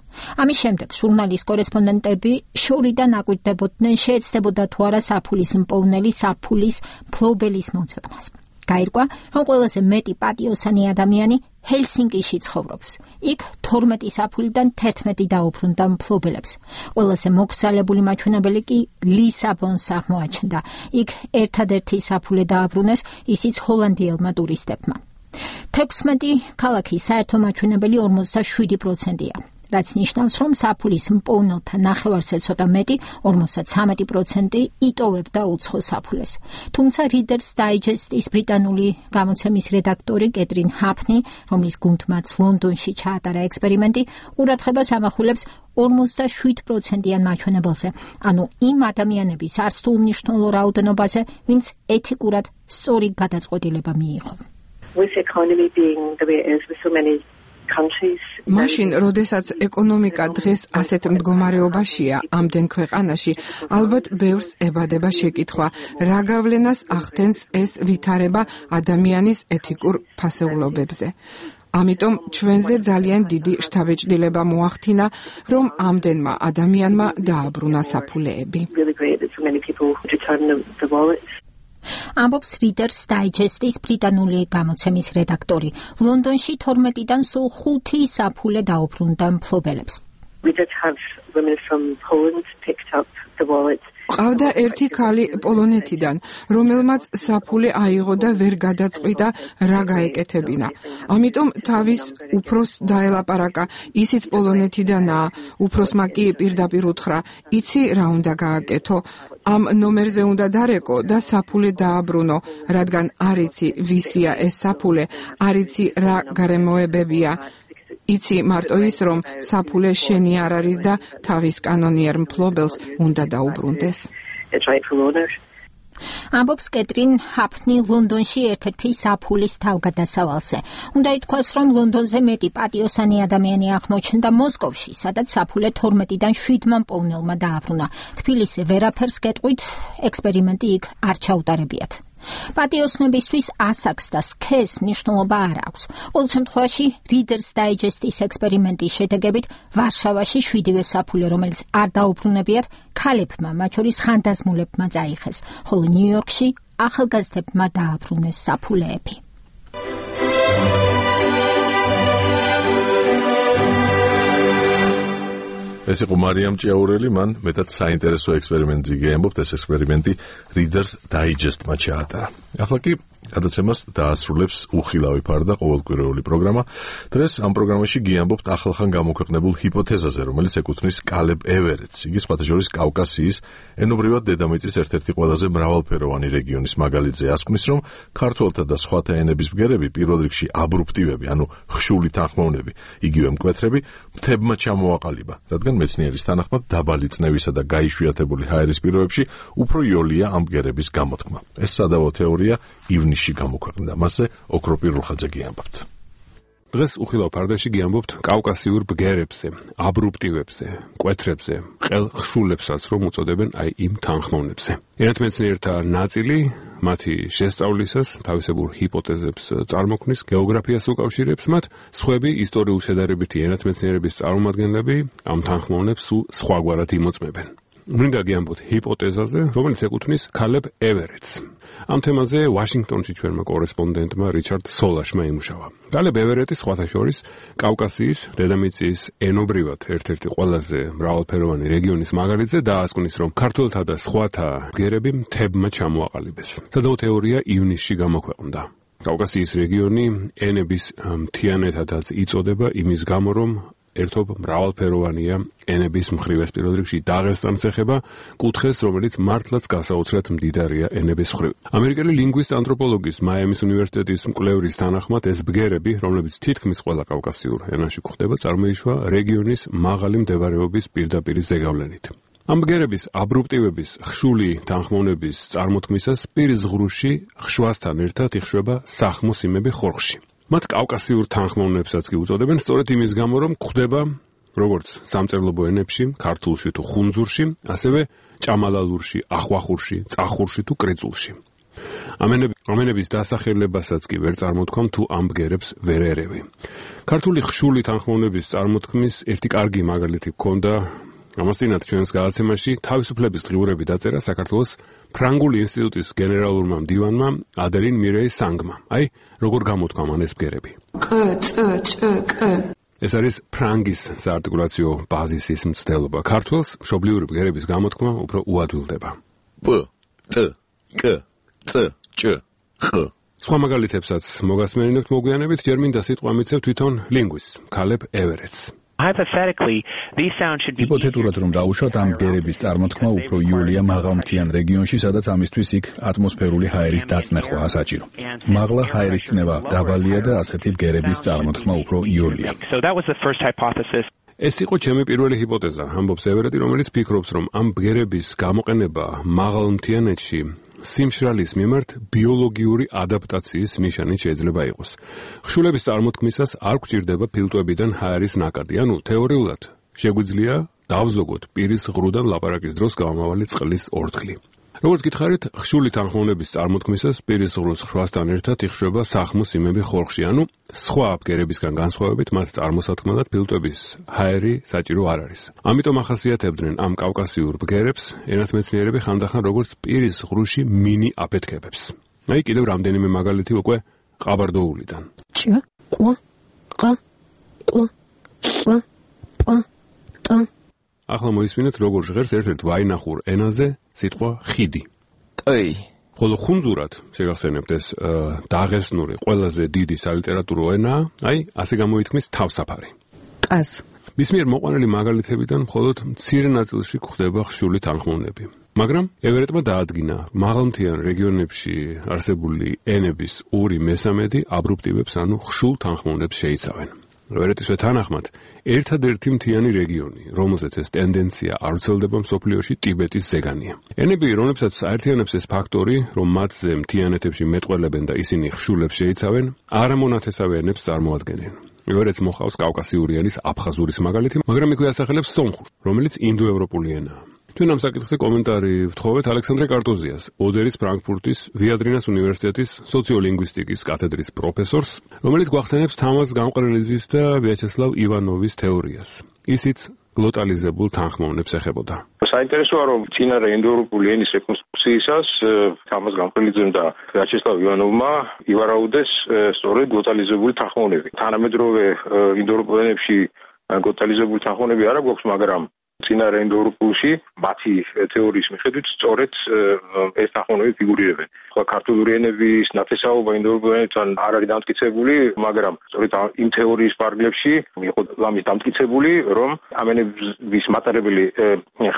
ამის შემდეგ ჟურნალის კორესპონდენტები შორიდან აკვირდებოდნენ, შეეცდებოდა თუ არა საფულის მპოვნელი საფულის მფლობელის მოძებნას. გაირკვა, რომ ყველაზე მეტი პატიოსანი ადამიანი ჰელსინკიში ცხოვრობს. იქ 12 საფულიდან 11 დაუბრუნდა მფლობელებს. ყველაზე მოკრძალებული მაჩვენებელი კი ლისაბონს აღმოაჩნდა. იქ ერთადერთი საფულე დააბრუნეს, ისიც ჰოლანდიელმა ტურისტებმა. 16 ქალაქის საერთო მაჩვენებელი 47%-ია. რაც ნიშნავს, რომ საფულის მპოვნელთა ნახევარზე ცოტა მეტი, 53% იტოვებდა უცხო საფულეს. თუმცა Reader's Digest-ის ბრიტანული გამოცემის რედაქტორი კეტრინ ჰაფნი, რომლის გუნდმაც ლონდონში ჩაატარა ექსპერიმენტი, ყურადღებას ამახვილებს 47%-იან მაჩვენებელზე, ანუ იმ ადამიანების არც თუ უმნიშვნელო რაოდენობაზე, ვინც ეთიკურად სწორი გადაწყვეტილება მიიღო. With economy being the way it is with so many მაშინ, როდესაც ეკონომიკა დღეს ასეთ მდგომარეობაშია ამდენ ქვეყანაში, ალბათ ბევრს ებადება შეკითხვა, რა გავლენას ახდენს ეს ვითარება ადამიანის ეთიკურ ფასეულობებზე. ამიტომ ჩვენზე ძალიან დიდი შთაბეჭდილება მოახდინა, რომ ამდენმა ადამიანმა დააბრუნა საფულეები. ამბობს Reader's Digest-ის ბრიტანული გამოცემის რედაქტორი. ლონდონში 12-დან სულ 5 საფულე დაუბრუნდა მფლობელებს. ყავდა ერთი ქალი პოლონეთიდან, რომელმაც საფულე აიღო და ვერ გადაწყვიტა რა გაეკეთებინა. ამიტომ თავის უფროს დაელაპარაკა, ისიც პოლონეთიდანაა, უფროსმა კი პირდაპირ უთხრა, იცი რა უნდა გააკეთო, ამ ნომერზე უნდა დარეკო და საფულე დააბრუნო, რადგან არ იცი ვისია ეს საფულე, არ იცი რა გარემოებებია. იცი მარტო ის, რომ საფულე შენი არ არის და თავის კანონიერ მფლობელს უნდა დაუბრუნდეს. ამბობს კეტრინ ჰაფნი ლონდონში ერთ-ერთი საფულის თავგადასავალზე. უნდა ითქვას, რომ ლონდონზე მეტი პატიოსანი ადამიანი აღმოჩნდა მოსკოვში, სადაც საფულე 12-დან 7-მა მპოვნელმა დააბრუნა. თბილისზე ვერაფერს გეტყვით, ექსპერიმენტი იქ არ ჩაუტარებიათ. პატიოსნობისთვის ასაკს და სქესს მნიშვნელობა არ აქვს. ყოველ შემთხვევაში Reader's Digest-ის ექსპერიმენტის შედეგებით ვარშავაში 7-ვე საფულე, რომელიც არ დაუბრუნებიათ, ქალებმა, მათ შორის ხანდაზმულებმა წაიხეს, ხოლო ნიუ-იორკში ახალგაზრდებმა დააბრუნეს საფულეები. ეს იყო მარიამ ჭიაურელი, მან მეტად საინტერესო ექსპერიმენტი გეამბობთ, ეს ექსპერიმენტი Reader's Digest-მა ჩაატარა. ახლა კი გადაცემას დაასრულებს უხილავი ფარდა ყოველკვირეული პროგრამა. დღეს ამ პროგრამაში გიამბობთ ახალხან გამოქვეყნებულ ჰიპოთეზაზე, რომელიც ეკუთვნის კალებ ევერეტს. იგი სხვათა შორის კავკასიის ენობრივად დედამიწის ერთ-ერთი ყველაზე მრავალფეროვანი რეგიონის მაგალითზე ასკვნის, რომ ქართველთა და სხვათა ენების ბგერები, პირველ რიგში აბრუპტივები, ანუ ხშული თანხმოვნები, იგივე მკვეთრები, მთებმა ჩამოაყალიბა, რადგან მეცნიერის თანახმად დაბალი წნევისა და გაიშვიათებული ჰაერის პირობებში უფრო იოლია ამ ბგერების გამოთქმა. ეს სადავო თეორია ივნისში გამოქვეყნდა. მასზე ოქროპირ რუხაძე გიამბობთ. დღეს უხილავ ფარდაში გიამბობთ კავკასიურ ბგერებზე, აბრუპტივებზე, მკვეთრებზე, ყელხშულებსაც, რომ უწოდებენ აი იმ თანხმოვნებზე. ენათმეცნიერთა ნაწილი მათი შესწავლისას თავისებურ ჰიპოთეზებს წარმოქმნის, გეოგრაფიას უკავშირებს მათ, სხვები ისტორიულ შედარებითი ენათმეცნიერების წარმომადგენლები ამ თანხმოვნებს სულ სხვაგვარად იმოწმებენ. მინდა გიამბოთ ჰიპოთეზაზე, რომელიც ეკუთვნის კალებ ევერეტს. ამ თემაზე ვაშინგტონში ჩვენმა კორესპონდენტმა რიჩარდ სოლაშმა იმუშავა. კალებ ევერეტი სხვათა შორის კავკასიის დედამიწის ენობრივად ერთ-ერთი ყველაზე მრავალფეროვანი რეგიონის მაგალითზე დაასკვნის, რომ ქართველთა და სხვათა ბგერები მთებმა ჩამოაყალიბეს. სადავო თეორია ივნისში გამოქვეყნდა. კავკასიის რეგიონი ენების მთიანეთადაც იწოდება იმის გამო, რომ ერთობ მრავალფეროვანია ენების მხრივ. ეს პირველ რიგში დაღესტანს ეხება, კუთხეს, რომელიც მართლაც გასაოცრად მდიდარია ენების მხრივ. ამერიკელი ლინგვისტ ანთროპოლოგის მაიამის უნივერსიტეტის მკვლევრის თანახმად ეს ბგერები, რომლებიც თითქმის ყველა კავკასიურ ენაში გვხვდება, წარმოიშვა რეგიონის მაღალი მდებარეობის პირდაპირი ზეგავლენით. ამ ბგერების აბრუპტივების ხშული თანხმოვნების წარმოთქმისას პირის ღრუში ხვასთან ერთად იხშვება სახმოს იმები ხორხში. მათ კავკასიურ თანხმოვნებსაც კი უწოდებენ სწორედ იმის გამო, რომ გვხვდება როგორც სამწერლობო ენებში, ქართულში თუ ხუნძურში, ასევე ჭამალალურში, ახვახურში, წახურში თუ კრეწულში. ამენების დასახელებასაც კი ვერ წარმოთქვამ თუ ამ ბგერებს ვერ ერევი. ქართული ხშული თანხმოვნების წარმოთქმის ერთი კარგი მაგალითი გქონდა ამასთანავე ჩვენს გადაცემაში თავისუფლების დღიურები დაწერა საქართველოს ფრანგული ინსტიტუტის გენერალურმა მდივანმა ადელინ მირეი სანგმა. აი, როგორ გამოთქვამ ამ ეს ბგერები. ეს არის ფრანგის საარტიკულაციო ბაზისის მცდელობა. ქართველს მშობლიური ბგერების გამოთქმა უფრო უადვილდება. პ, ც, კ, წ, ჭ, ხ. სხვა მაგალითებსაც მოგასმენინებთ მოგვიანებით, ჯერ მინდა სიტყვა მიცევ თვითონ ლინგვისტს, ქალებ ევერეტს. ჰიპოთეტურად რომ დავუშვათ, ამ ბგერების წარმოთქმა უფრო იოლია მაღალმთიან რეგიონში, სადაც ამისთვის იქ ატმოსფერული ჰაერის დაწნეხვაა საჭირო. მაღლა ჰაერის წნევა დაბალია და ასეთი ბგერების წარმოთქმა უფრო იოლია. ეს იყო ჩემი პირველი ჰიპოთეზა, ამბობს ევერეტი, რომელიც ფიქრობს, რომ ამ ბგერების გამოყენება მაღალმთიანეთში სიმშრალის მიმართ ბიოლოგიური ადაპტაციის ნიშანი შეიძლება იყოს. ხშულების წარმოთქმისას არ გვჭირდება ფილტვებიდან ჰაერის ნაკადი, ანუ თეორიულად შეგვიძლია დავზოგოთ პირის ღრუდან ლაპარაკის დროს გამომავალი წყლის ორთქლი. როგორც გითხარით, ხშული თანხმოვნების წარმოთქმისას პირის ღრუს ხვასთან ერთად იხშვება სახმოს იმები ხორხში, ანუ სხვა ბგერებისგან განსხვავებით მათ წარმოსათქმელად ფილტვების ჰაერი საჭირო არ არის. ამიტომ ახასიათებდნენ ამ კავკასიურ ბგერებს ენათმეცნიერები ხანდახან როგორც პირის ღრუში მინი აფეთქებებს. აი კიდევ რამდენიმე მაგალითი უკვე ყაბარდოულიდან. ჭ, ყ, ყ, ყ, ყ, ყ, ყ. ახლა მოისმინეთ როგორ ჟღერს ერთ-ერთ ვაინახურ ენაზე სიტყვა ხიდი. ტი. ხოლო ხუნძურად შეგახსენებთ ეს დაღესტნური ყველაზე დიდი სალიტერატურო ენაა, აი ასე გამოითქმის თავსაფარი. ყაზ. მის მიერ მოყვანილი მაგალითებიდან მხოლოდ მცირე ნაწილში გვხვდება ხშული თანხმოვნები. მაგრამ ევერეტმა დაადგინა, მაღალმთიან რეგიონებში არსებული ენების 2/3 აბრუპტივებს, ანუ ხშულ თანხმოვნებს შეიცავენ. ევერეტისვე თანახმად, ერთადერთი მთიანი რეგიონი, რომელზეც ეს ტენდენცია არ ვრცელდება მსოფლიოში, ტიბეტის ზეგანია. ენები, რომლებსაც აერთიანებს ეს ფაქტორი, რომ მათზე მთიანეთებში მეტყველებენ და ისინი ხშულებს შეიცავენ, არამონათესავე ენებს წარმოადგენენ. ევერეტს მოყავს კავკასიური ენის აფხაზურის მაგალითი, მაგრამ იქვე ასახელებს სომხურს, რომელიც ინდოევროპული ენაა. ჩვენ ამ საკითხზე კომენტარი ვთხოვეთ ალექსანდრე კარტოზიას, ოდერის ფრანკფურტის ვიადრინას უნივერსიტეტის სოციოლინგვისტიკის კათედრის პროფესორს, რომელიც გვახსენებს თამაზ გამყრელიძის და ვიაჩესლავ ივანოვის თეორიას. ისიც გლოტალიზებულ თანხმოვნებს ეხებოდა. საინტერესოა, რომ წინარე ინდოევროპული ენის რეკონსტრუქციისას თამაზ გამყრელიძემ და ვიაჩესლავ ივანოვმა ივარაუდეს სწორედ გლოტალიზებული თანხმოვნები. თანამედროვე ინდოევროპულ ენებში გლოტალიზებული თანხმოვნები არ აქვს, მაგრამ წინარე ინდოევროპულში მათი თეორიის მიხედვით სწორედ ეს თანხმოვნები ფიგურირებენ. სხვა ქართული ენების ნათესაობა ინდოევროპულ ენებთან არ არის დამტკიცებული, მაგრამ სწორედ იმ თეორიის პარალელში იყო ამის დამტკიცებული, რომ ამ ენების მატარებელი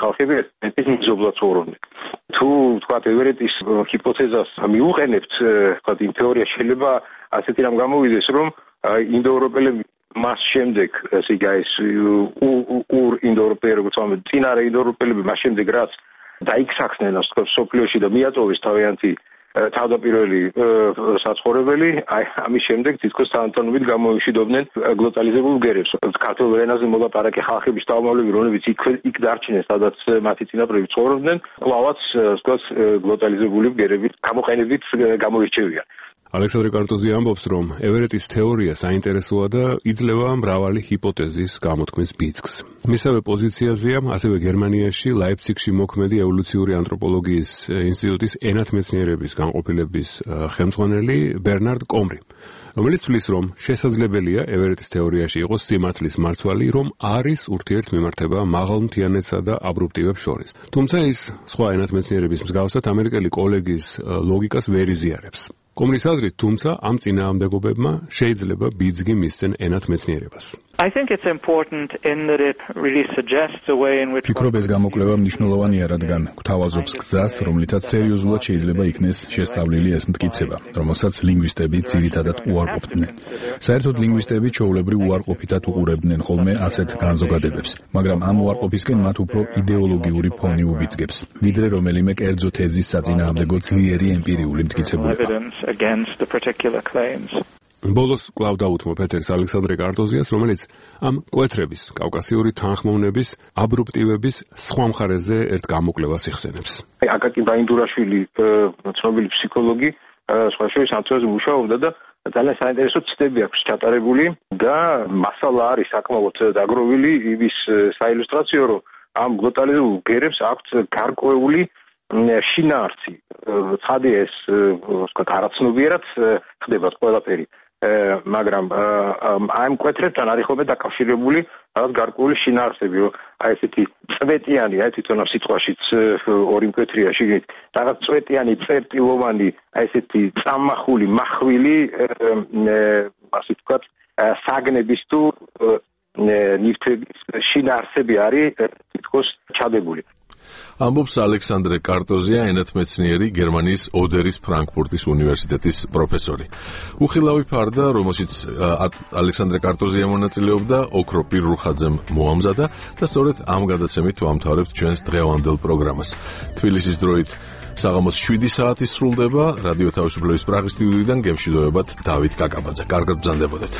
ხალხები ეთნიზმობლად ცხოვრობდნენ. თუ თქვა ევერეტის ჰიპოთეზას მიუყენებთ, თქვა იმ თეორია შეიძლება ასეთი რამ გამოვიდეს, რომ ინდოევროპელები მას შემდეგ ესე იგი ეს ინდოევროპელი როგორც ამბობენ წინარე ინდოევროპელები მას შემდეგ რაც დაიქსახნენ სოფლიოში და მიაწოვეს თავიანთი თავდაპირველი საცხოვრებელი, აი ამის შემდეგ თითქოს თანამშრომლობით გამოიშვიდობდნენ გლოტალიზებულ ბგერებს. ქართულ ენაზე მოლაპარაკე ხალხების შთამომავლები, რომლებიც იქ დარჩნენ, სადაც მათი წინაპრები ცხოვრობდნენ, კვლავაც თქვათ გლოტალიზებული ბგერებით გამოყენებით გამოირჩევიან. ალექსანდრე კარტოზი ამბობს, რომ ევერეტის თეორია საინტერესოა და იძლევა მრავალი ჰიპოთეზის გამოთქმის ბიძგს. მისავე პოზიციაზეა ასევე გერმანიაში ლაიფციგში მოქმედი ევოლუციური ანთროპოლოგიის ინსტიტუტის ენათმეცნიერების განყოფილების ხელმძღვანელი ბერნარდ კომრი, რომელიც თვლის, რომ შესაძლებელია ევერეტის თეორიაში იყოს სიმართლის მარცვალი, რომ არის ურთიერთმემართება მაღალმთიანეთსა და აბრუპტივებს შორის. თუმცა ის სხვა ენათმეცნიერების მსგავსად ამერიკელი კოლეგის ლოგიკას ვერ იზიარებს. კომრის აზრით, თუმცა ამ წინააღმდეგობებმა შეიძლება ბიძგი მისცენ ენათმეცნიერებას. I think it's important in that it really suggests a way in which ფიქრობ ეს გამოკვლევა მნიშვნელოვანია, რადგან გვთავაზობს გზას, რომლითაც სერიოზულად შეიძლება იქნეს შესწავლილი ეს მტკიცება, რომელსაც ლინგვისტები ძირითადად უარყოფდნენ. საერთოდ ლინგვისტები ჩვეულებრივ უარყოფითად უყურებდნენ ხოლმე ასეთ განზოგადებებს, მაგრამ ამ უარყოფისკენ მათ უფრო იდეოლოგიური ფონი უბიძგებს, ვიდრე რომელიმე კერძო თეზის საწინააღმდეგო ძლიერი ემპირიული მტკიცებულება. ბოლოს კვლავ დაუთმო პეტერს ალექსანდრე კარტოზიას, რომელიც ამ კვეთრების, კავკასიური თანხმოვნების, აბრუპტივების სხვა მხარეზე ერთ გამოკვლევას იხსენებს. აკაკი ბაინდურაშვილი, ცნობილი ფსიქოლოგი, სხვა შორის ამ თემაზე მუშაობდა და ძალიან საინტერესო ცდები აქვს ჩატარებული და მასალა არის საკმაოდ დაგროვილი იმის საილუსტრაციო, რომ ამ გლოტალიზებულ გერებს აქვთ გარკვეული შინაარსი. ცხადია ეს, ვთქვათ, არაცნობიერად ხდება ყველაფერი. მაგრამ ამ კვეთრებთან არის ხოლმე დაკავშირებული რაღაც გარკვეული შინაარსები, რომ აი ესეთი წვეტიანი, აი თვითონ ამ სიტყვაშიც ორი მკვეთრია შიგნით, რაღაც წვეტიანი, წერტილოვანი, აი ესეთი წამახული, მახვილი, ასე ვთქვათ, საგნების თუ ნივთების შინაარსები არის თითქოს ჩადებული. ამბობს ალექსანდრე კარტოზია, ენათმეცნიერი, გერმანიის ოდერის ფრანკფურტის უნივერსიტეტის პროფესორი. უხილავი ფარდა, რომელშიც ალექსანდრე კარტოზია მონაწილეობდა, ოქრო პირრუხაძემ მოამზადა და სწორედ ამ გადაცემით ვამთავრებთ ჩვენს დღევანდელ პროგრამას. თბილისის დროით საღამოს 7 საათი სრულდება. რადიო თავისუფლების პრაღის სტუდიიდან გემშვიდობებათ დავით კაკაბაძე. კარგად ბრძანდებოდეთ.